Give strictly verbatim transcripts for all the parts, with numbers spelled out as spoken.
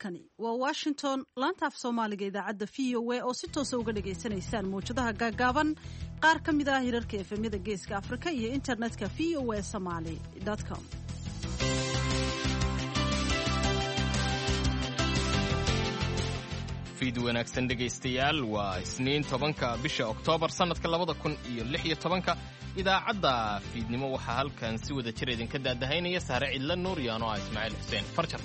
Halkani waa Washington, laanta af Soomaaliga, idaacadda V O A oo si toosa uga dhagaysanaysaan mawjadaha gaagaaban, qaar ka mid ah hirarka efemyada Geeska Afrika iyo internetka V O A Somali com. Fiid wanaagsan, dhegaystayaal. Waa Isniin, tobanka bisha Oktoobar, sannadka labada kun iyo lix iyo tobanka. Idaacadda fiidnimo waxaa halkan si wada jir idinka daadahaynaya Sahre Cidla Nuur iyo anoo ah Ismaaciil Xuseen Farjar.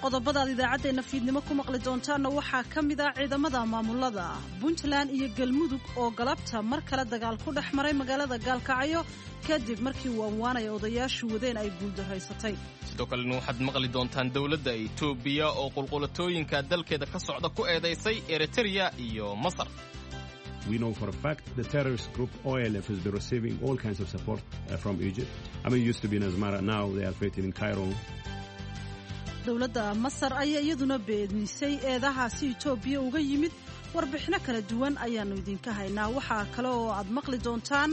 Qodobadaad idaacaddeenna fiidnimo ku maqli doontaanna waxaa ka mid ah ciidamada maamulada Puntland iyo Galmudug oo galabta mar kale dagaal ku dhex maray magaalada Gaalkacyo, kadib markii waanwaanaya odayaashu wadeen ay guuldaraysatay. Sidoo kalena waxaad maqli doontaan dowladda Itoobiya oo qulqulatooyinka dalkeeda ka socda ku eedaysay Eritrea iyo Masar. We know for a fact the terrorist group O L F has been receiving all kinds of support uh, from Egypt. I mean, used to be in Asmara, now they are fighting in Cairo. Dowladda Masar ayaa iyaduna beenisay eedahaasi Itoobiya uga yimid. Warbixino kala duwan ayaannu idinka haynaa. Waxaa kale oo aad maqli doontaan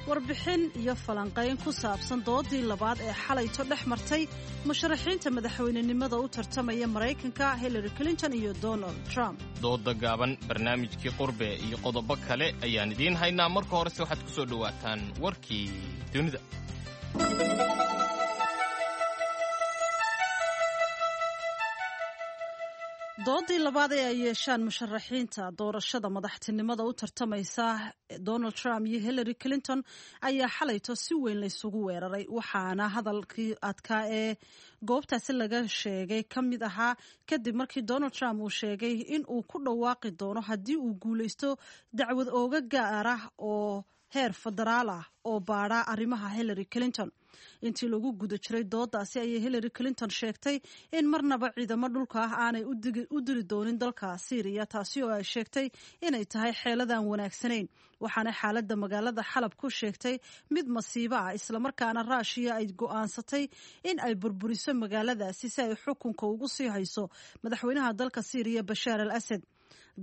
warbixin iyo falanqayn ku saabsan doodii labaad ee xalayto dhex martay musharaxiinta madaxweynenimada u tartamaya Maraykanka, Hillary Clinton iyo Donald Trump. Dooda gaaban, barnaamijkii Qurbe iyo qodobo kale ayaan idiin haynaa. Marka horese waxaad ku soo dhowaataan warkii dunida. Doodii labaad ee ay yeeshaan musharaxiinta doorashada madaxtinimada u tartamaysa, Donald Trump iyo Hillary Clinton, ayaa xalayto si weyn laysugu weeraray, waxaana hadalkii adkaa ee goobtaasi laga sheegay ka mid ahaa kadib markii Donald Trump uu sheegay in uu ku dhawaaqi doono, haddii uu guuleysto, dacwad ooga gaar ah oo heer federaal ah oo baadha arrimaha Hillary Clinton. Intii lagu guda jiray doodaasi ayay Hillary Clinton sheegtay in marnaba ciidamo dhulka ah aanay u diri doonin dalka Syriya, taasi oo ay sheegtay inay tahay xeeladaan wanaagsanayn. Waxaana xaaladda magaalada Xalab ku sheegtay mid masiibo ah, islamarkaana Raashiya ay go'aansatay in ay burburiso magaaladaasi si ay xukunka ugu sii hayso madaxweynaha dalka Syriya, Bashaar al Asad.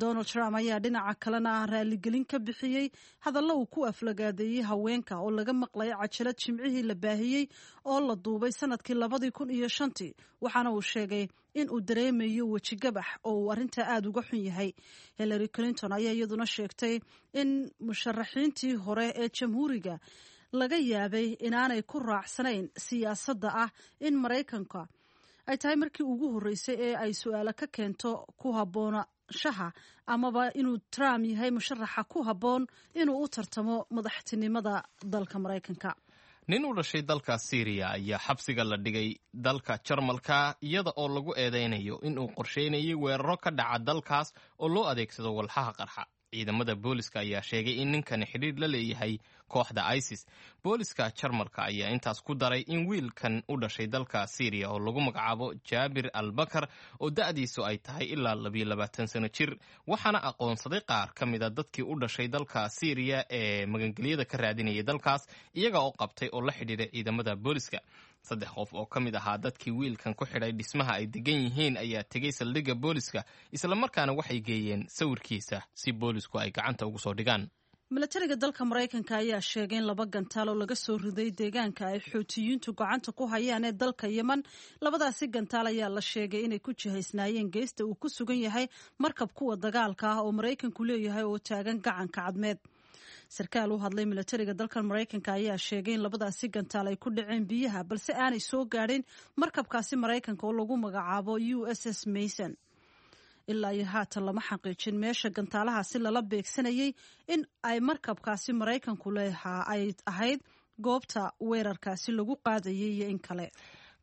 Donald Trump ayaa dhinaca kalena raaligelin ka bixiyey hadallo uu ku aflagaadeeyey haweenka oo laga maqlay cajalad Jimcihii la baahiyey oo la duubay sanadkii labadii kun iyo shantii, waxaana uu sheegay in uu dareemayo wejigabax oo uu arrintaa aada uga xun yahay. Hillary Clinton ayaa iyaduna sheegtay in musharaxiintii hore ee Jamhuuriga laga yaabay inaanay ku raacsanayn siyaasadda ah in Maraykanka ay tahay markii ugu horreysay ee ay su-aalo ka keento ku haboonashaha amaba inuu Trump yahay musharaxa ku habboon inuu u tartamo madaxtinimada dalka Maraykanka. Nin u dhashay dalka Siiriya ayaa xabsiga la dhigay dalka Jarmalka, iyada oo lagu eedeynayo inuu qorsheynayay weeraro ka dhaca dalkaas oo loo adeegsado walxaha qarxa. Ciidamada booliska ayaa sheegay in ninkani xidhiir la leeyahay kooxda ISIS. Booliska Jarmalka ayaa intaas ku daray in wiilkan u dhashay dalka Siiriya oo lagu magacaabo Jaabir Albakar, oo da'diisu ay tahay ilaa labiyo labaatan sano jir, waxaana aqoonsaday qaar ka mida dadkii u dhashay dalka Siiriya ee magangelyada ka raadinayay dalkaas, iyaga oo qabtay oo la xidhiiray ciidamada booliska. Saddex qof oo ka mid ahaa dadkii wiilkan ku xidhay dhismaha ay degan yihiin ayaa tegey saldhigga booliska, islamarkaana waxay geeyeen sawirkiisa si boolisku ay gacanta ugu soo dhigaan. Milatariga dalka Maraykanka ayaa sheegay in laba gantaal oo laga soo riday deegaanka ay Xuutiyiintu gacanta ku hayaan ee dalka Yeman. Labadaasi gantaal ayaa la sheegay inay ku jihaysnaayeen geesta uu ku sugan yahay markab kuwa dagaalka ah oo Maraykanku leeyahay oo taagan Gacanka Cadmeed. Sarkaal u hadlay milatariga dalkan Maraykanka ayaa sheegay in labadaasi gantaal ay ku dhaceen biyaha, balse aanay soo gaadhin markabkaasi Maraykanka oo lagu magacaabo U S S Mason. Ilaa iyo haatan lama xaqiijin meesha gantaalahaasi lala beegsanayay, in ay markabkaasi Maraykanku leehaa ay ahayd goobta weerarkaasi lagu qaadayay iyo in kale.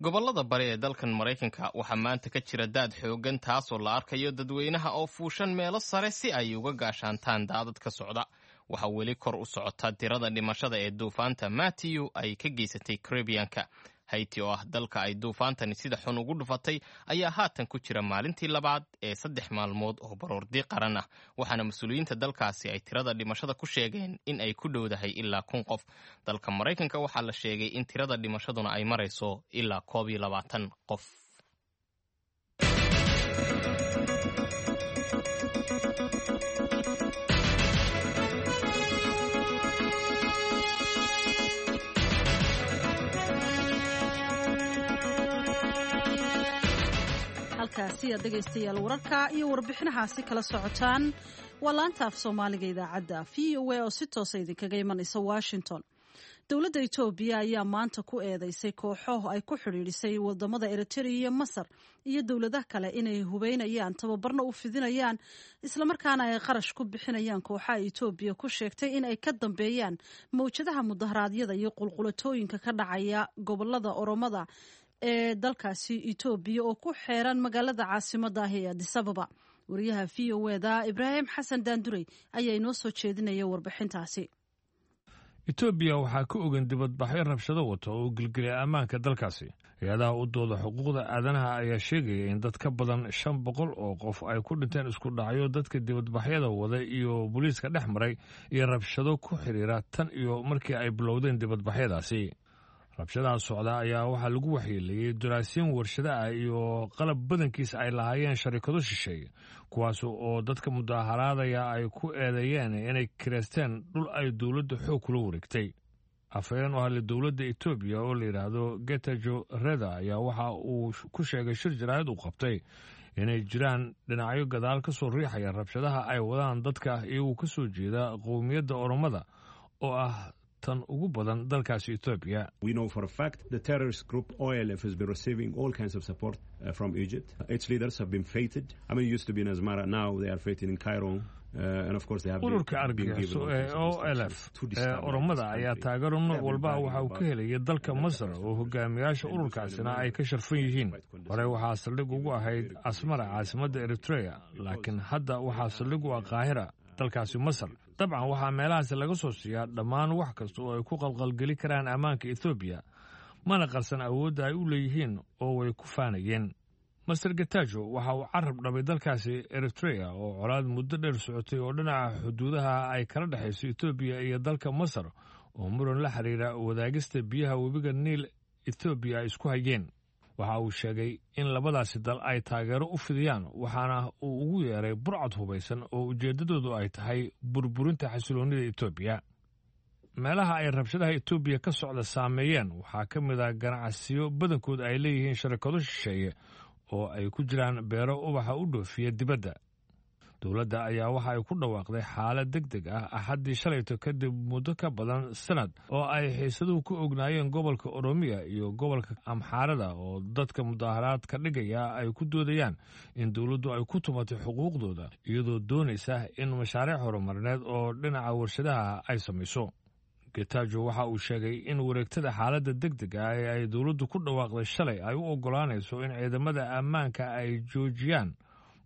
Gobollada bari ee dalkan Maraykanka waxaa maanta ka jira daad xooggan, taasoo la arkayo dadweynaha oo fuushan meelo sare si ay uga gaashaantaan daadad ka socda. Waxaa weli kor u socota tirada dhimashada ee duufaanta Matthew ay ka geysatay Caribianka. Haiti, oo ah dalka ay duufaantani sida xun ugu dhufatay, ayaa haatan ku jira maalintii labaad ee saddex maalmood oo baroordi qaran ah, waxaana mas-uuliyiinta dalkaasi ay tirada dhimashada ku sheegeen in ay ku dhowdahay ilaa kun qof. Dalka Maraykanka waxaa la sheegay in tirada dhimashaduna ay marayso ilaa koob iyo labaatan qof. Halkaasi aad dhegaystayaal wararka iyo warbixinahaasi kala socotaan waa laanta af Soomaaliga idaacadda V O A oo si toosa idinkaga imanaysa Washington. Dowladda Itoobiya ayaa maanta ku eedeysay kooxo ay ku xidhiidhisay wadamada Eritrea iyo Masar iyo dowladaha kale inay hubeynayaan, tababarna u fidinayaan, islamarkaana ay qarash ku bixinayaan kooxaha Itoobiya ku sheegtay in ay ka dambeeyaan mawjadaha mudaharaadyada iyo qulqulatooyinka ka dhacaya gobolada Oromada ee dalkaasi Itoobiya oo ku xeeran magaalada caasimadda ah ee Addis Ababa. Wariyaha V O E-da Ibraahim Xasan Daandurey ayaa inoo soo jeedinaya warbixintaasi. Itoobiya waxaa ka ogan dibadbaxyo rabshado wata oo gelgelya ammaanka dalkaasi. Hay-adaha u dooda xuquuqda aadanaha ayaa sheegaya in dad ka badan shan boqol oo qof ay ku dhinteen isku dhacyo dadka dibadbaxyada wada iyo booliiska dhex maray iyo rabshado ku xiriira tan iyo markii ay bilowdeen dibadbaxyadaasi. Rabshadaha socda ayaa waxaa lagu waxyeeleeyey daraasiin warshado ah iyo qalab badankiis ay lahaayeen sharikado shisheeye, kuwaas oo dadka mudaaharaadaya ay ku eedeeyeen inay kireysteen dhul ay dowladda xoog kula wareegtay. Afhayeen u hadlay dowladda Etoobiya oo la yidhaahdo Getajo Reda ayaa waxa uu ku sheegay shir jaraa'id uu qabtay inay jiraan dhinacyo gadaal ka soo riixaya rabshadaha ay wadaan dadka iyagoo ka soo jeeda qowmiyadda Oromada oo ah tan ugu badan dalkaasi Etoobiya. We know for a fact the terrorist group O L F has been receiving all kinds of support uh, from Egypt. Its leaders have been feted. I mean, it used to be in Asmara, now they are feted in Cairo. Uh, and of course they have Ururka argagixiso ee O L F ee Oromada ayaa taageero nooc walba waxa uu ka helaya dalka Masar, oo hogaamiyaasha ururkaasina ay ka sharfan yihiin. Hore waxaa saldhig ugu ahayd Asmara, caasimadda Eritrea, laakiin hadda waxaa saldhig u ah Qaahira, dalkaasi Masar. Dabcan waxaa meelahaasi laga soo siiyaa dhammaan wax kasta oo ay ku qalqalgeli karaan ammaanka Etoobiya, mana qarsan awoodda ay u leeyihiin oo way ku faanayeen. Master Getajo waxa uu carab dhabay dalkaasi Eritrea oo colaad muddo dheer socotay oo dhinaca xuduudaha ay kala dhexayso Etoobiya iyo dalka Masar oo muran la xiriira wadaagista biyaha webiga Niil Etoobiya ay isku hayeen. Waxa uu sheegay in labadaasi dal ay taageero u fidiyaan, waxaana uu ugu yeeray burcad hubaysan oo ujeeddadoodu ay tahay burburinta xasiloonnida Etoobiya. Meelaha ay rabshadaha Etoobiya ka socda saameeyeen waxaa ka mid ah ganacsiyo badankood ay leeyihiin sharikado shisheeye oo ay ku jiraan beero ubaxa u dhoofiya dibadda. Dowladda ayaa waxa ay ku dhawaaqday xaalad deg deg ah Axaddii shalayto, kadib muddo ka badan sanad oo ay xiisaduhu ku ognaayeen gobolka Oromiya iyo gobolka Amxaarada, oo dadka mudaaharaadka dhigaya ay ku doodayaan in dowladdu ay ku tumatay xuquuqdooda iyadoo doonaysa in mashaariic horumarineed oo dhinaca warshadaha ay samayso. Getajo waxa uu sheegay in wareegtada xaaladda deg deg ah ee ay dowladdu ku dhawaaqday shalay ay u oggolaanayso in ciidamada ammaanka ay joojiyaan,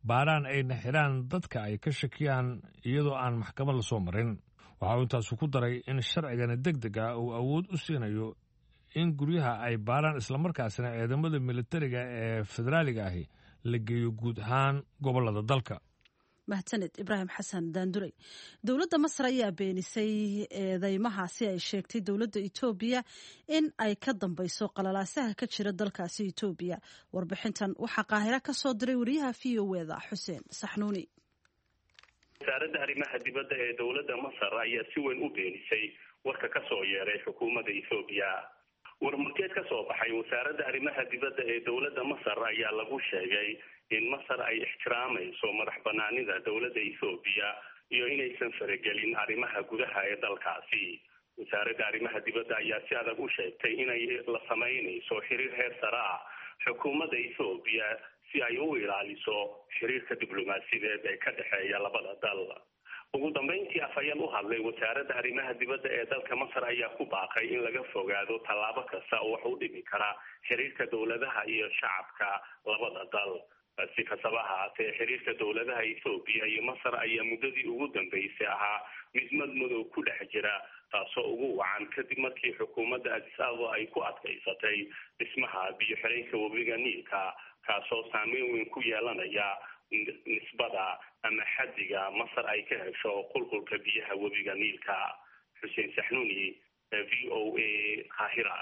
baaraan ayna xidhaan dadka ay ka shakiyaan iyadoo aan maxkamad la soo marin. Waxa uu intaasu ku daray in sharcigani deg deg ah uu awood u siinayo in guryaha ay baaraan, islamarkaasina ciidamada militariga ee federaaliga ahi la geeyo guud ahaan gobollada dalka. Mahadsaned Ibraahim Xasan Daandurey. Dowladda Masar ayaa beenisay eedeymahaasi ay sheegtay dowladda Etoobiya in ay ka dambeyso qalalaasaha ka jira dalkaasi Etoobiya. Warbixintan waxaa Qaahira ka soo diray wariyaha V O E-da Xuseen Saxnuuni. Wasaaradda arrimaha dibadda ee dowladda Masar ayaa si weyn u beenisay warka ka soo yeeray xukuumadda Etoobiya. Warmurteed ka soo baxay wasaaradda arrimaha dibadda ee dowladda Masar ayaa lagu sheegay in Masar ay ixtiraamayso madax banaanida dowladda Ethoobiya iyo inaysan faragelin arrimaha gudaha ee dalkaasi. Wasaaradda arrimaha dibadda ayaa si adag u sheegtay inay la samaynayso xiriir heer sare ah xukuumadda Ethoobiya si ay u ilaaliso xiriirka diblomaasiyadeed ee ka dhexeeya labada dal. Ugu dambeyntii, afhayeen u hadlay wasaaradda arrimaha dibadda ee dalka Masar ayaa ku baaqay in laga fogaado tallaabo kasta oo wax u dhimi kara xiriirka dowladaha iyo shacabka labada dal. Si kastaba ahaatee, xiriirka dowladaha Ethoobiya iyo Masar ayaa muddadii ugu dambeysay ahaa mid madmadow ku dhex jira, taasoo ugu wacan kadib markii xukuumadda Addis Ababa ay ku adkaysatay dhismaha biyo xireenka webiga Niilka, kaasoo saameyn weyn ku yeelanaya nisbada ama xaddiga Masar ay ka hesho qulqulka biyaha webiga Niilka. Xuseen Saxnuuni, V O A, Qaahira.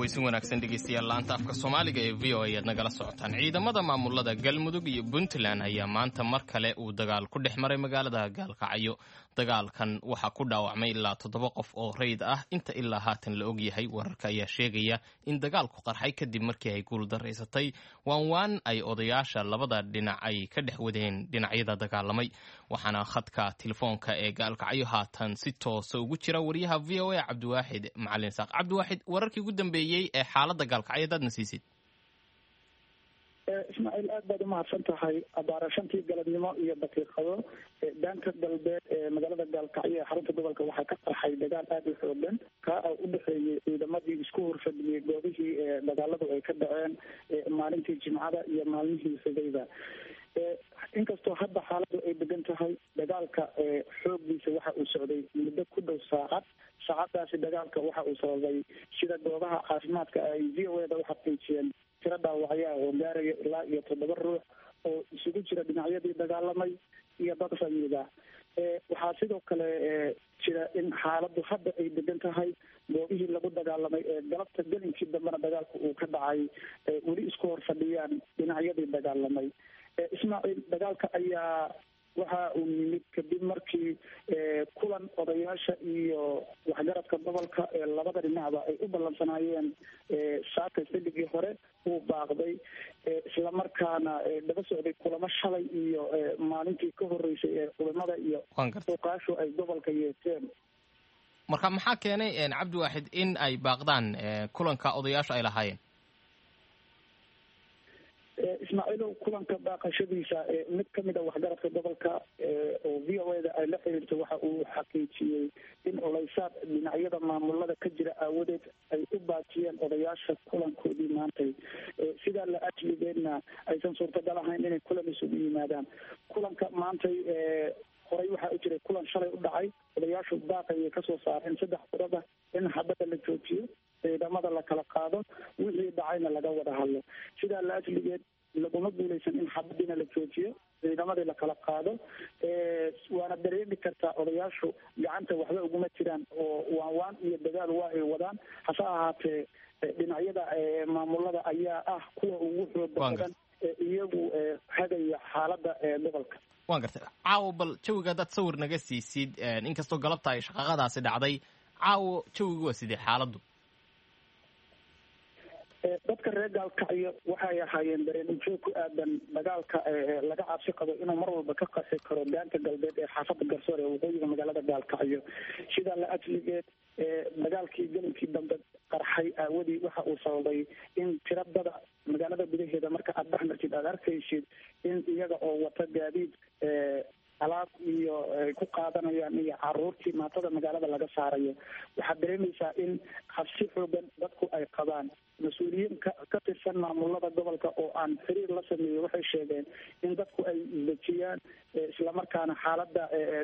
Caweysin wanaagsan dhegeystayaal, laanta afka Soomaaliga ee V O A ayaad nagala socotaan. Ciidamada maamulada Galmudug iyo Puntland ayaa maanta mar kale uu dagaal ku dhex maray magaalada Gaalkacyo. Dagaalkan waxaa ku dhaawacmay ilaa toddoba qof oo rayid ah inta ilaa haatan la ogyahay. Wararka ayaa sheegaya in dagaalku qarxay kadib markii ay guuldaraysatay waanwaan ay odayaasha labada dhinac ay ka dhex wadeen dhinacyada dagaalamay. Waxaana khadka telefoonka ee Gaalkacyo haatan si toosa ugu jira wariyaha V O A Cabdiwaaxid Macalin Saaq. Cabdiwaaxid, wararkii ugu dambeeyey ee xaaladda Gaalkacyo hadaad na siisid. Ismaaciil, aad baad umahadsan tahay. Abaara shantii galabnimo iyo daqiiqado daanta galbeed ee magaalada Gaalkacyo ee xarunta gobolka waxaa ka qarxay dagaal aada u xoogan, kaa oo u dhexeeyey ciidamadii isku horfadhiyey goobihii dagaaladu ay ka dhaceen maalintii Jimcada iyo maalmihii xigayba. Inkastoo hadda xaaladu ay degan tahay, dagaalka xooggiisa waxa uu socday muddo ku dhow saacad. Saacadaasi dagaalka waxa uu sababay, sida goobaha caafimaadka ay V O A da uxaqiijiyeen, tiro dhaawacyaa oo gaaraya ilaa iyo toddoba ruux oo isugu jira dhinacyadii dagaalamay iyo dad rayida. Waxaa sidoo kale jira in xaaladdu hadda ay degan tahay. Goobihii lagu dagaalamay ee galabta gelinkii dambena dagaalku uu ka dhacay weli isku hor fadhiyaan dhinacyadii dagaalamay. Ismaaciil, dagaalka ayaa waxa uu yimid kadib markii kulan odayaasha iyo waxgaradka gobolka ee labada dhinacba ay u ballansanaayeen saaka xilligii hore uu baaqday, islamarkaana daba socday kulamo shalay iyo maalintii ka horeysay ee culimada iyo uqaashu ay gobolka yeesheen. Marka maxaa keenay, Cabdiwaaxid, in ay baaqdaan kulanka odayaasha ay lahaayeen? Ismaaciilow, kulanka baaqashadiisa mid kamid a waxgaradka gobolka oo V O A da ay la xiriirto waxa uu xaqiijiyey in culaysaad dhinacyada maamulada ka jira aawadeed ay u baajiyeen odayaasha kulankoodii maantay. Sidaa la ajligeedna aysan suurtagal ahayn inay kulan isugu yimaadaan. Kulanka maantay horey waxaa u jiray kulan shalay u dhacay, odayaashu baaqayay kasoo saareen saddex qodoba: in xabada la joojiyo, ciidamada la kala qaado, wixii dhacayna laga wada hadlo. Sidaa la ajligeed laguma guuleysan in xabadiina la joojiyo, ciidamadii la kala qaado. Waana dareemi kartaa odayaashu gacanta waxba uguma jiraan oo waanwaan iyo dagaal waa ay wadaan, hase ahaatee dhinacyada maamulada ayaa ah kuwa ugu xooga badan ee iyagu hagaya xaaladda gobolka. Waan gartay. Caawo bal jawiga haddaad sawir naga siisid, inkastoo galabta ay shaqaqadaasi dhacday, caawo jawigu waa sidee xaaladdu? Dadka reer Gaalkacyo waxay ahaayeen dareen ujoog ku aadan dagaalka laga cabsi qabo inuu mar walba ka qarxi karo daanta galbeed ee xaafadda Garsoor ee waqooyiga magaalada Gaalkacyo. Sidaa la ajligeed dagaalkii gelinkii dambe qarxay aawadii waxa uu sababay in tiradada magaalada gudaheeda marka aada dhex martid aada arkaysid in iyaga oo wata gaadiid alaab iyo ay ku qaadanayaan iyo caruurtii maatada magaalada laga saarayo. Waxaad dareemaysaa in cabsi xoogan dadku ay qabaan. Mas-uuliyiin ka ka tirsan maamulada gobolka oo aan xiriir la sameeyey waxay sheegeen in dadku ay isdejiyaan, islamarkaana xaaladda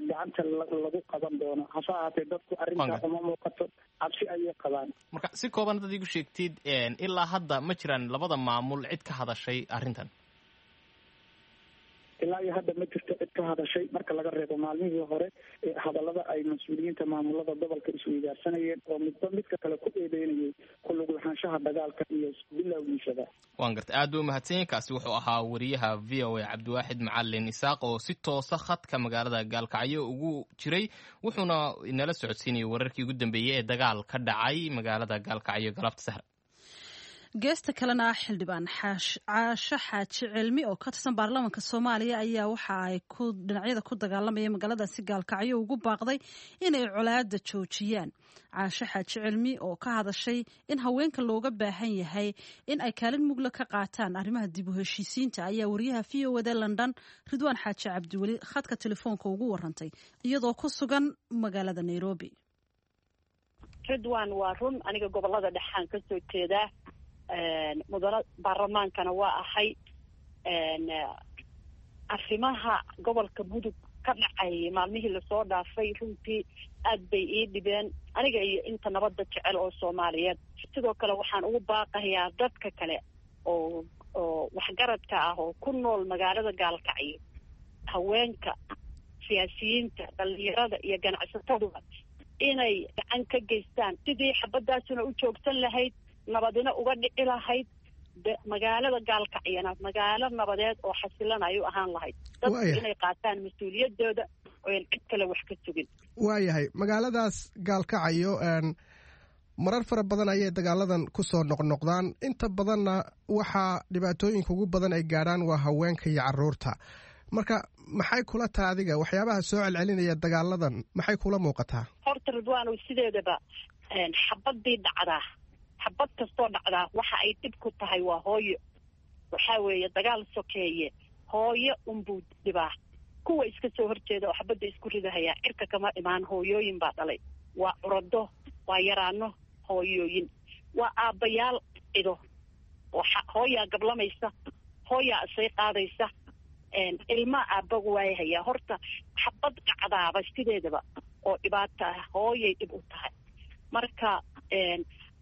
gacanta lagu qaban doono. Hase ahaatee dadku arrintaa uma muuqato, cabsi ayay qabaan. Marka si kooban haddaad igu sheegtid, ilaa hadda ma jiraan labada maamul cid ka hadashay arrintan? Ilaa iyo hadda ma jirto cid ka hadashay, marka laga reebo maalmihii hore hadallada ay mas-uuliyiinta maamulada gobolka isweydaarsanayeen oo midba midka kale ku eedeynayay ku lug lahaanshaha dagaalka iyo bilowgiisaba. Waan gartay, aad buu umahadsan. Kaasi wuxuu ahaa wariyaha V O A Cabdiwaaxid Macalin Isaaq oo si toosa khadka magaalada Gaalkacyo ugu jiray, wuxuuna inala socodsiinayay wararkii ugu dambeeyey ee dagaal ka dhacay magaalada Gaalkacyo galabta sahra. Geesta kalena, xildhibaan Caasho Xaaji Cilmi oo ka tirsan baarlamaanka Soomaaliya ayaa waxa ay ku dhinacyada ku dagaalamaya magaaladaasi Gaalkacyo ugu baaqday inay colaada joojiyaan. Caasho Xaaji Cilmi oo ka hadashay in haweenka looga baahan yahay in ay kaalin mugla ka qaataan arrimaha dib u heshiisiinta ayaa wariyaha V O A da London Ridwaan Xaaji Cabdiweli khadka telefoonka ugu warantay iyadoo ku sugan magaalada Nairobi. Ridwaan, waa run, aniga gobolada dhexaan kasoo jeedaa, mudano baarlamaankana waa ahay. Arrimaha gobolka Mudug ka dhacay maalmihii lasoo dhaafay runtii aad bay ii dhibeen aniga iyo inta nabadda jecel oo Soomaaliyeed. Sidoo kale waxaan ugu baaqayaa dadka kale oo oo waxgaradka ah oo ku nool magaalada Gaalkacyo, haweenka, siyaasiyiinta, dhalinyarada iyo ganacsataduba inay gacan ka geystaan sidii xabadaasuna u joogsan lahayd, Nabadina uga dhici lahayd magaalada Gaalkacyana magaalo nabadeed oo xasilan ay u ahaan lahayd. Dadku inay qaataan mas-uuliyadooda oyan cid kale wax ka sugin. Waayahay, magaaladaas Gaalkacayo marar fara badan ayay dagaaladan ku soo noqnoqdaan, inta badanna waxaa dhibaatooyinka ugu badan ay gaadhaan waa haweenka iyo caruurta. Marka maxay kula taha adiga waxyaabaha soo celcelinaya dagaaladan, maxay kula muuqataa? Horta Ridwaanow, sideedaba xabadii dhacdaa, xabad kastoo dhacdaa waxa ay dhib ku tahay waa hooyo. Waxaa weeye dagaal sokeeye hooyo unbuu dhibaa. Kuwa iska soo horjeeda oo xabadda isku ridahayaa cirka kama imaan, hooyooyin baa dhalay. Waa curado, waa yaraano hooyooyin, waa aabbayaal cido. Hooyaa gablamaysa, hooyaa isay qaadaysa, ilmaa aabbagu waayahayaa. Horta xabad dhacdaaba sideedaba oo dhibaata ah hooyay dhib u tahay. Marka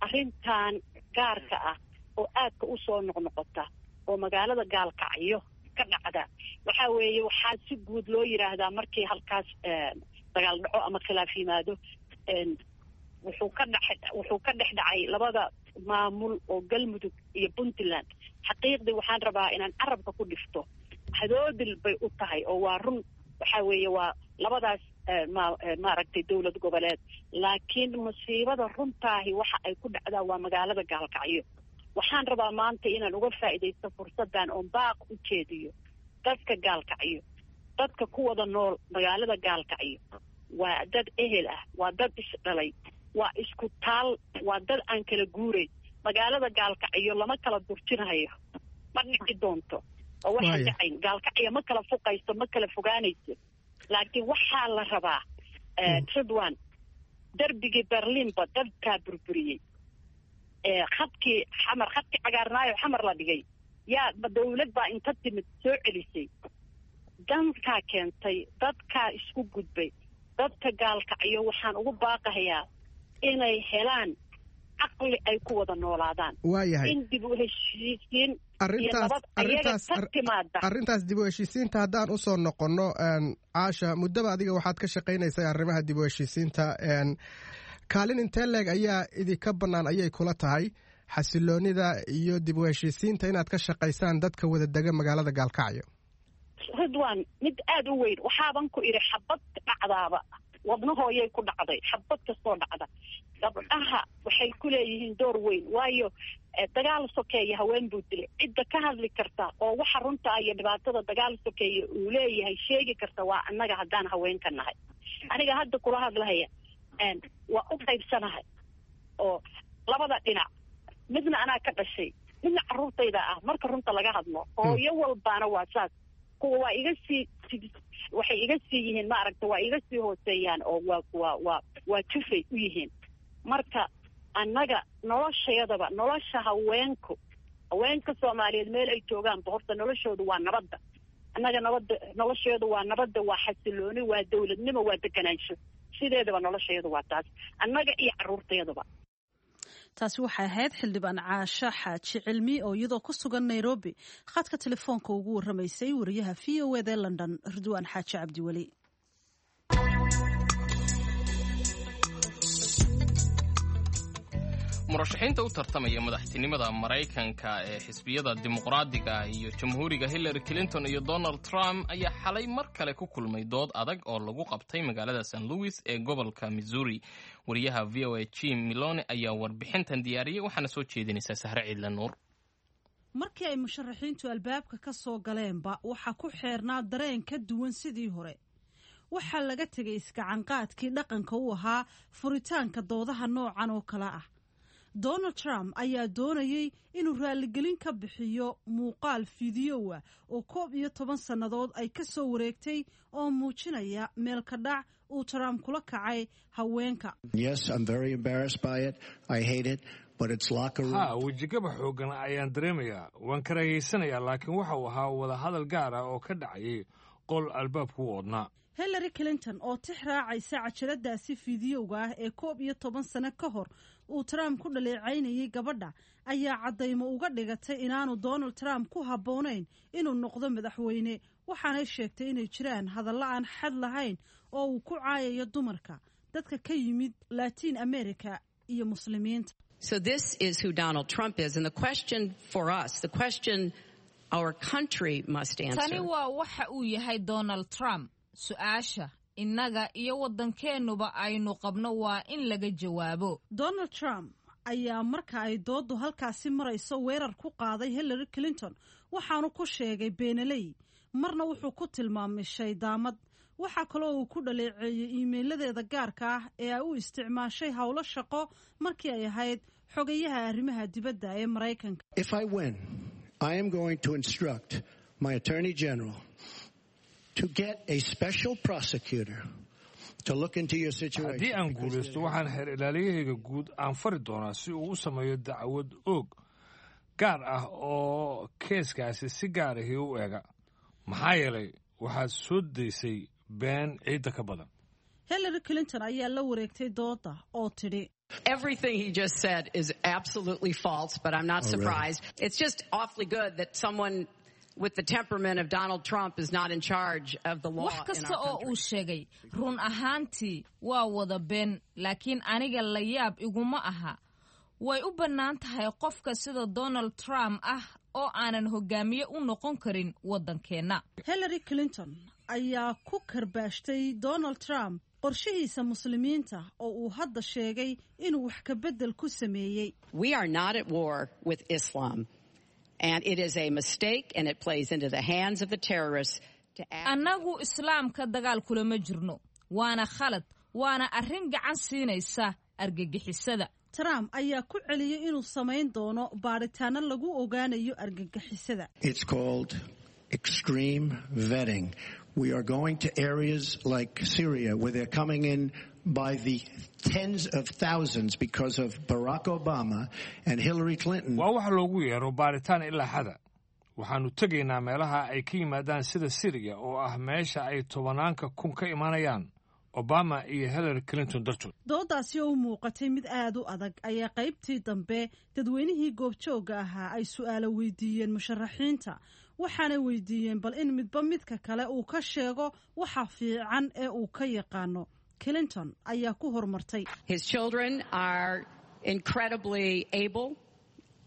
arrintan gaarka ah oo aadka u soo noqnoqota oo magaalada Gaalkacyo ka dhacda waxaa weeye, waxaa si guud loo yiraahdaa markii halkaas dagaal dhaco ama khilaaf yimaado, wuxuu ka dhex wuxuu ka dhex dhacay labada maamul oo Galmudug iyo Puntland. Xaqiiqdii waxaan rabaa inaan carabka ku dhifto, hadoodil bay u tahay oo waa run. Waxaa weeye waa labadaas ma maaragtay dowlad goboleed, laakiin musiibada runtaahi waxa ay ku dhacdaa waa magaalada Gaalkacyo. Waxaan rabaa maanta inaan uga faa'iidaysto fursaddan oon baaq u jeediyo dadka Gaalkacyo, dadka ku wada nool magaalada Gaalkacyo. Waa dad ehel ah, waa dad isdhalay, waa isku taal, waa dad aan kala guurayn. Magaalada Gaalkacyo lama kala durjinayo, ma dhici doonto oo waxa dhacayn. Gaalkacyo ma kala fuqayso, ma kala fogaanayso, laakiin waxaa la rabaa Ridwan, darbigii Berlinba dadkaa burburiyey, khadkii Xamar, khadkii cagaarnaayo Xamar la dhigay, yaa dawlad baa inta timid soo celisay. Dankaa keentay, dadkaa isku gudbay. Dadka Gaalkacyo waxaan ugu baaqahayaa inay helaan caqli ay ku wada noolaadaan. Waayahay, in dib u heshiisiin iyo nabad ayaga ka timaada. Arrintaas dib u heshiisiinta haddaan usoo noqonno, Caasha, muddaba adiga waxaad ka shaqaynaysay arrimaha dib u heshiisiinta. Kaalin intee leeg ayaa idinka bannaan ayay kula tahay xasiloonida iyo dib u heshiisiinta inaad ka shaqaysaan dadka wada dega magaalada Gaalkacyo? Ridwan, mid aada u weyn. Waxaaban ku idhi xabad dhacdaaba wadnahooyay ku dhacday. Xabad kastoo dhacda gabdhaha waxay ku leeyihiin door weyn, waayo dagaal sokeeye haween buu dilay. Cidda ka hadli karta oo waxa runtaa iyo dhibaatada dagaal sokeeye uu leeyahay sheegi karta waa annaga haddaan haweenka nahay. Aniga hadda kula hadlahaya waa u qaybsanahay oo labada dhinac, midna anaa ka dhashay, midna carruurtayda ah. Marka runta laga hadlo hooyo walbaana waa saas. Kuwa waa iga sii waxay iga sii yihiin maaragta, waa iga sii hooseeyaan oo waa waa waa waa jufay u yihiin. Marka annaga noloshayadaba, nolosha haweenku, haweenka Soomaaliyeed meel ay joogaanba horta noloshoodu waa nabadda. Annaga nabadda nolosheedu waa nabadda, waa xasilooni, waa dowladnimo, waa deganaansho. Sideedaba noloshayadu waa taas, annaga iyo carruurtayadaba. Taasi waxay ahayd xildhibaan Caasha Xaaji Cilmi oo iyadoo ku sugan Nairobi khadka telefoonka ugu warramaysay wariyaha V O A da London Ridwaan Xaaji Cabdiweli. Murashaxiinta u tartamaya madaxtinimada Maraykanka ee xisbiyada Dimuqraadiga iyo Jamhuuriga Hillary Clinton iyo Donald Trump ayaa xalay mar kale ku kulmay dood adag oo lagu qabtay magaalada Saint Louis ee gobolka Missouri. Wariyaha V O A Jim Milone ayaa warbixintan diyaariyey, waxaana soo jeedinaysaa Sahre Ciidle Nuur. Markii ay musharaxiintu albaabka ka soo galeenba waxaa ku xeernaa dareen ka duwan sidii hore. Waxaa laga tegay iskacanqaadkii dhaqanka u ahaa furitaanka doodaha noocan oo kale ah. Donald Trump ayaa doonayay inuu raaligelin ka bixiyo muuqaal fiidiyowa oo koob iyo toban sannadood ay ka soo wareegtay oo muujinaya meel ka dhac uu Trump kula kacay haweenka. Ha, wejigaba xooggan ayaan dareemayaa, waan karahaysanayaa, laakiin waxa uu ahaa wadahadal gaar ah oo ka dhacayay qol albaabku u odnaa. Hillary Clinton oo tix raacaysa cajaladaasi fiidiyowga ah ee koob iyo toban sano ka hor uu Trump ku dhaleecaynayay gabadha ayaa caddaymo uga dhigatay inaanu Donald Trump ku habboonayn inuu noqdo madaxweyne, waxaanay sheegtay inay jiraan hadallo aan xad lahayn oo uu ku caayayo dumarka, dadka ka yimid Latin America iyo Muslimiinta. So this is who Donald Trump is. And the question for us, the question our country must answer. Tani waa waxa uu yahay Donald Trump. Su'aasha innaga iyo waddankeennuba aynu qabno waa in laga jawaabo. Donald Trump ayaa marka ay dooddu halkaasi marayso weerar ku qaaday Hillary Clinton, waxaanu ku sheegay beenaley, marna wuxuu ku tilmaamay shaydaamad. Waxaa kaloo uu ku dhaleeceeyey iimeyladeeda gaarka ah ee ay u isticmaashay howlo shaqo markii ay ahayd xogayaha arrimaha dibadda ee Maraykanka. If I win, I am going to instruct my attorney general to get a special prosecutor to look into your situation. Haddii aan guulaysto, waxaan xeer ilaaliyahayga guud aan fari doonaa si uu u sameeyo dacwad oog gaar ah oo keeskaasi si gaar ahi u eega, maxaa yeelay waxaad soo daysay been ciidda ka badan. Hillary Clinton ayaa la wareegtay dooda oo tidhi: Everything he just said is absolutely false, but I'm not Oh, really? surprised. It's just awfully good that someone with the temperament of Donald Trump is not in charge of the law Wax in kasta our oo country. uu sheegay run ahaantii waa wada been, laakiin aniga la yaab iguma aha. Way u bannaan tahay qofka sida Donald Trump ah oo aanan hogaamiye u noqon karin waddankeenna. Hillary Clinton ayaa ku karbaashtay Donald Trump qorshihiisa Muslimiinta oo uu hadda sheegay inuu wax ka beddel ku sameeyey. We are not at war with Islam. And it is a mistake, and it plays into the hands of the terrorists to act. Annagu Islaamka dagaal kulama jirno, waana khalad, waana arrin gacan siinaysa argagixisada. Trump ayaa ku celiyey inuu samayn doono baadhitaano lagu ogaanayo argagixisada. It's called extreme vetting. We are going to areas like Syria where they're coming in by the tens of thousands because of Barack Obama and Hillary Clinton. Waa wax loogu yeero baaritaan ilaa xada. Waxaannu tegaynaa meelaha ay ka yimaadaan, sida Siriya oo ah meesha ay tobanaanka kun ka imanayaan Obama iyo Hillary Clinton dartood. Doodaasi oo u muuqatay mid aad u adag ayaa qaybtii dambe dadweynihii goobjoogga ahaa ay su'aalo weydiiyeen musharaxiinta, waxaanay weydiiyeen bal in midba midka kale uu ka sheego waxa fiican ee uu ka yaqaano. Clinton ayaa ku horumartay. His children are incredibly able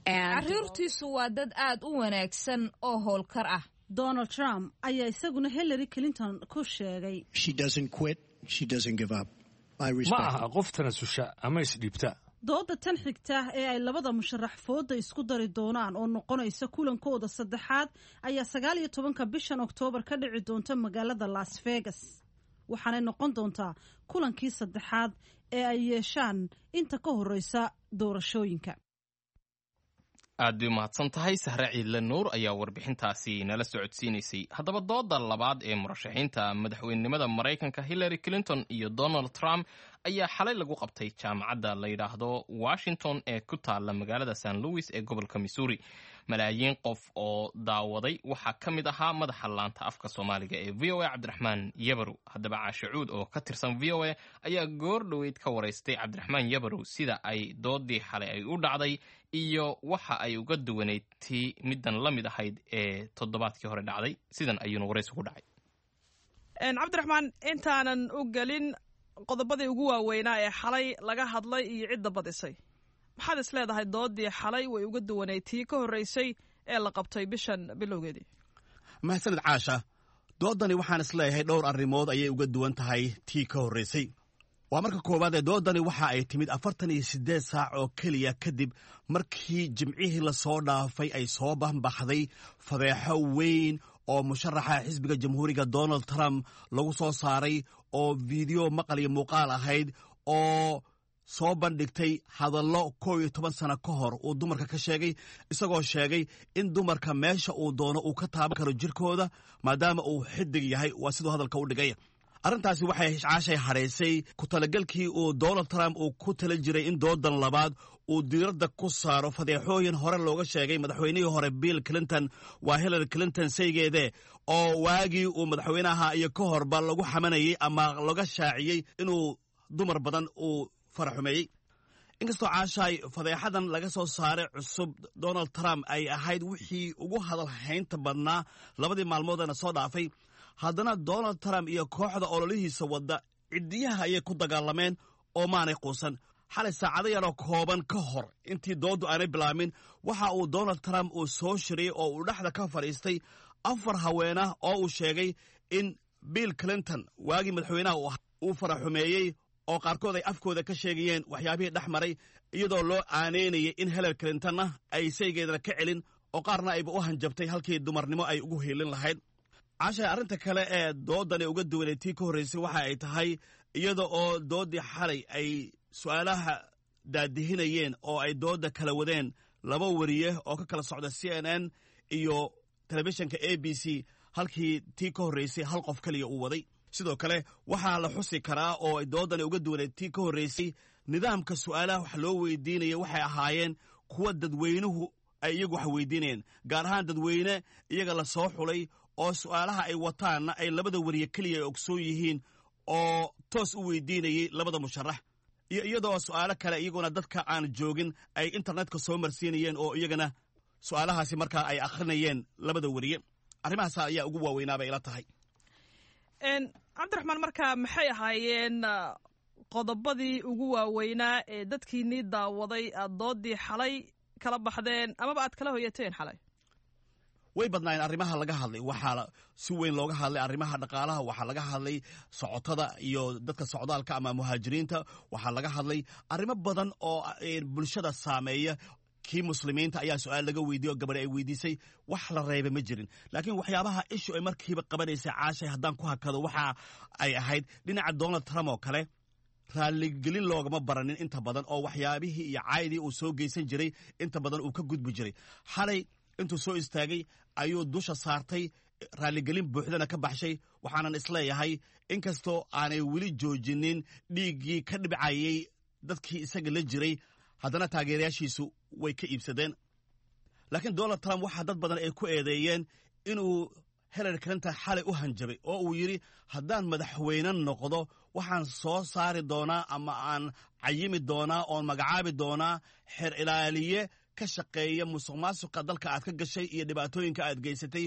and Carruurtiisu waa dad aad u wanaagsan oo howlkar ah. Donald Trump ayaa isaguna Hillary Clinton ku sheegay: She doesn't quit. She doesn't give up. I Ma respect aha qof tanasusha ama isdhiibta. Dooda tan xigta ee ay labada musharax fooda isku dari doonaan oo noqonaysa kulankooda saddexaad ayaa sagaal iyo tobanka bishan Oktoobar ka dhici doonta magaalada Las Vegas, waxaanay noqon doontaa kulankii saddexaad ee ay yeeshaan inta ka horeysa doorashooyinka. Aad bay umahadsan tahay Sahre Ciidle Nuur ayaa warbixintaasi nala socodsiinaysay. Haddaba, dooda labaad ee murashaxiinta madaxweynenimada Maraykanka Hillary Clinton iyo Donald Trump ayaa xalay lagu qabtay jaamacadda la yidhaahdo Washington ee ku taalla magaalada Saint Louis ee gobolka Missouri. Malaayiin qof oo daawaday waxaa ka mid ahaa madaxa laanta afka Soomaaliga ee V O A, Cabdiraxmaan Yabarow. Haddaba, Caashe Cuud oo ka tirsan V O A ayaa goor dhoweyd ka waraystay Cabdiraxmaan Yabarow sida ay doodii xalay ay u dhacday iyo waxa ay uga duwanayd tii middan la mid ahayd ee toddobaadkii hore dhacday. Sidan ayuuna waraysi ku dhacay. Cabdiraxmaan, intaanan u gelin qodobadii ugu waaweynaa ee xalay laga hadlay iyo cidda badisay, maxaad is leedahay doodii xalay way uga duwanayd tii ka horreysay ee la qabtay bishan bilowgeedii? Mahadsanid, Caasha. Doodani waxaan is leeyahay dhowr arrimood ayay uga duwan tahay tii ka horraysay. Waa marka koowaad ee doodani waxa ay timid afartan iyo siddeed saac oo keliya kadib markii Jimcihii lasoo dhaafay ay soo banbaxday fadeexo weyn oo musharaxa xisbiga Jamhuuriga Donald Trump lagu soo saaray, oo fiideo maqal iyo muuqaal ahayd oo soo bandhigtay hadallo koow iyo toban sano ka hor uu dumarka ka sheegay, isagoo sheegay in dumarka meesha uu doono uu ka taaban karo jirkooda maadaama uu xidig yahay, waa siduu hadalka u dhigay. Arrintaasi waxay, Caashay, hadhaysay ku talagelkii uu Donald Trump uu ku tala jiray in doodan labaad uu diiradda ku saaro fadeexooyin hore looga sheegay madaxweynihii hore Bill Clinton, waa Hillary Clinton saygeede, oo waagii uu madaxweynaha iyo ka horba lagu xamanayey ama laga shaaciyey inuu dumar badan uu faraxumeeyey. Inkastoo, Caashaay, fadeexadan laga soo saaray cusub Donald Trump ay ahayd wixii ugu hadal haynta badnaa labadii maalmoodana soo dhaafay, haddana Donald Trump iyo kooxda ololihiisa wadda ciddiyaha ayay ku dagaalameen oo maanay quusan. Xalay saacado yaroo kooban ka hor intii dooddu aanay bilaabmin, waxa uu Donald Trump uu soo shiriyey oo uu dhexda ka fadhiistay afar haweenah oo uu sheegay in Bill Clinton waagii madaxweynaha uu faraxumeeyey, oo qaarkood ay afkooda ka sheegayeen waxyaabihii dhex maray, iyadoo loo aaneynayay in Hillary Clintonna ay saygeedana ka celin, oo qaarna ayba u hanjabtay halkii dumarnimo ay ugu hiilin lahayd. Cashay, arrinta kale ee doodani uga duwanay tii ka horraysay waxa ay tahay iyada oo dooddii xalay ay su'aalaha daadihinayeen oo ay doodda kala wadeen laba wariye oo ka kala socda C N N iyo telefishinka A B C, halkii tii ka horraysay hal qof keliya uu waday. Sidoo kale waxaa la xusi karaa oo ay doodani uga duwanay tii ka horraysay nidaamka su'aalaha wax loo weydiinaya waxay ahaayeen kuwa dadweynuhu ay iyagu wax weydiinayeen, gaar ahaan dadweyne iyaga la soo xulay oo su'aalaha ay wataanna ay labada wariye keliya ay ogsoon yihiin oo toos u weydiinayey labada musharax, iyo iyadoo su'aalo kale iyaguna dadka aan joogin ay internetka soo marsiinayeen oo iyagana su'aalahaasi markaa ay akhrinayeen labada wariye. Arrimahaas ayaa ugu waaweynaa bay ila tahay. Cabdiraxmaan, markaa maxay ahaayeen qodobadii ugu waaweynaa ee dadkiinii daawaday aad doodii xalay kala baxdeen amaba aad kala hoyateen xalay? Way badnaayeen arrimaha laga hadlay. Waxaa si weyn looga hadlay arrimaha dhaqaalaha, waxaa laga hadlay socotada iyo dadka socdaalka ama muhaajiriinta, waxaa laga hadlay arrimo badan oo bulshada saameeya. Kii muslimiinta ayaa su-aal laga weydiiye oo gabadhi ay weydiisay. Wax la reeba ma jirin, laakiin waxyaabaha ishu ay markiiba qabanaysay, Caashay, haddaan ku hakado, waxa ay ahayd dhinaca Donald Trump oo kale raalligelin loogama baranin inta badan, oo waxyaabihii iyo caydii uu soo geysan jiray inta badan uu ka gudbi jiray. Xalay intuu soo istaagay ayuu dusha saartay, raalligelin buuxdana ka baxshay. Waxaanan isleeyahay inkastoo aanay weli joojinin dhiiggii ka dhibcayey dadkii isaga la jiray, haddana taageerayaashiisu way ka iibsadeen. Laakiin Donald Trump waxaa dad badan ay ku eedeeyeen inuu Hillary Clinton xalay u hanjabay oo uu yidhi, "Haddaan madaxweyne noqdo, waxaan soo saari doonaa ama aan cayimi doonaa oon magacaabi doonaa xeer ilaaliye ka shaqeeya musuq maasuqa dalka aad ka gashay iyo dhibaatooyinka aad geysatay,"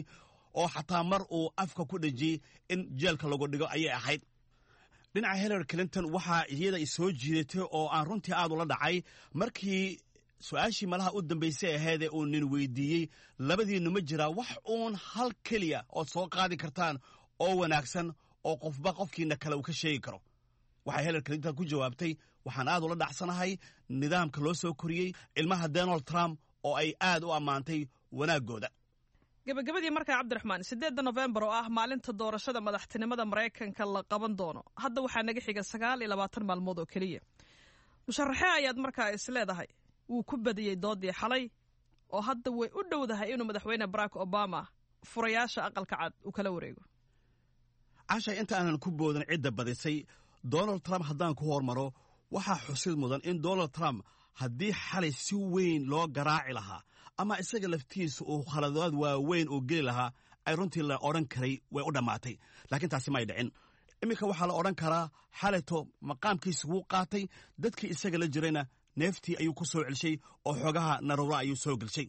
oo xataa mar uu afka ku dhejiyey in jeelka lagu dhigo ayay ahayd. Dhinaca Hillary Clinton waxaa iyada soo jiidatay oo aan runtii aad ula dhacay markii su-aashii malaha u dambaysay ahaydee uu nin weydiiyey, "Labadiinnu ma jiraa wax uun hal keliya ood soo qaadi kartaan oo wanaagsan oo qofba qofkiina kale uu ka sheegi karo?" Waxay Hillary Clinton ku jawaabtay, "Waxaan aad ula dhacsanahay nidaamka loo soo koriyey ilmaha Donald Trump," oo ay aad u ammaantay wanaaggooda. Gabagabadii markaa, Cabdiraxmaan, sideedda Nofembar oo ah maalinta doorashada madaxtinimada Maraykanka la qaban doono, hadda waxaa naga xiga sagaal iyo labaatan maalmood oo keliya. Musharaxee ayaad markaa is leedahay wuu ku badiyey doodii xalay oo hadda way u dhowdahay inuu madaxweyne Barack Obama furayaasha Aqalka Cad uu kala wareego? Cashay, inta aanan ku boodan cidda badisay, Donald Trump haddaan ku hormaro, waxaa xusid mudan in Donald Trump haddii xalay si weyn loo garaaci lahaa ama isaga laftiisa uu khaladaad waaweyn uu geli lahaa, ay runtii la odhan karay way u dhammaatay, laakiin taasi may dhicin. Iminka waxaa la odhan karaa xalayto maqaamkiisa wuu qaatay, dadkii isaga la jirayna neeftii ayuu ku soo celshay oo xoogaha naruura ayuu soo gelshay.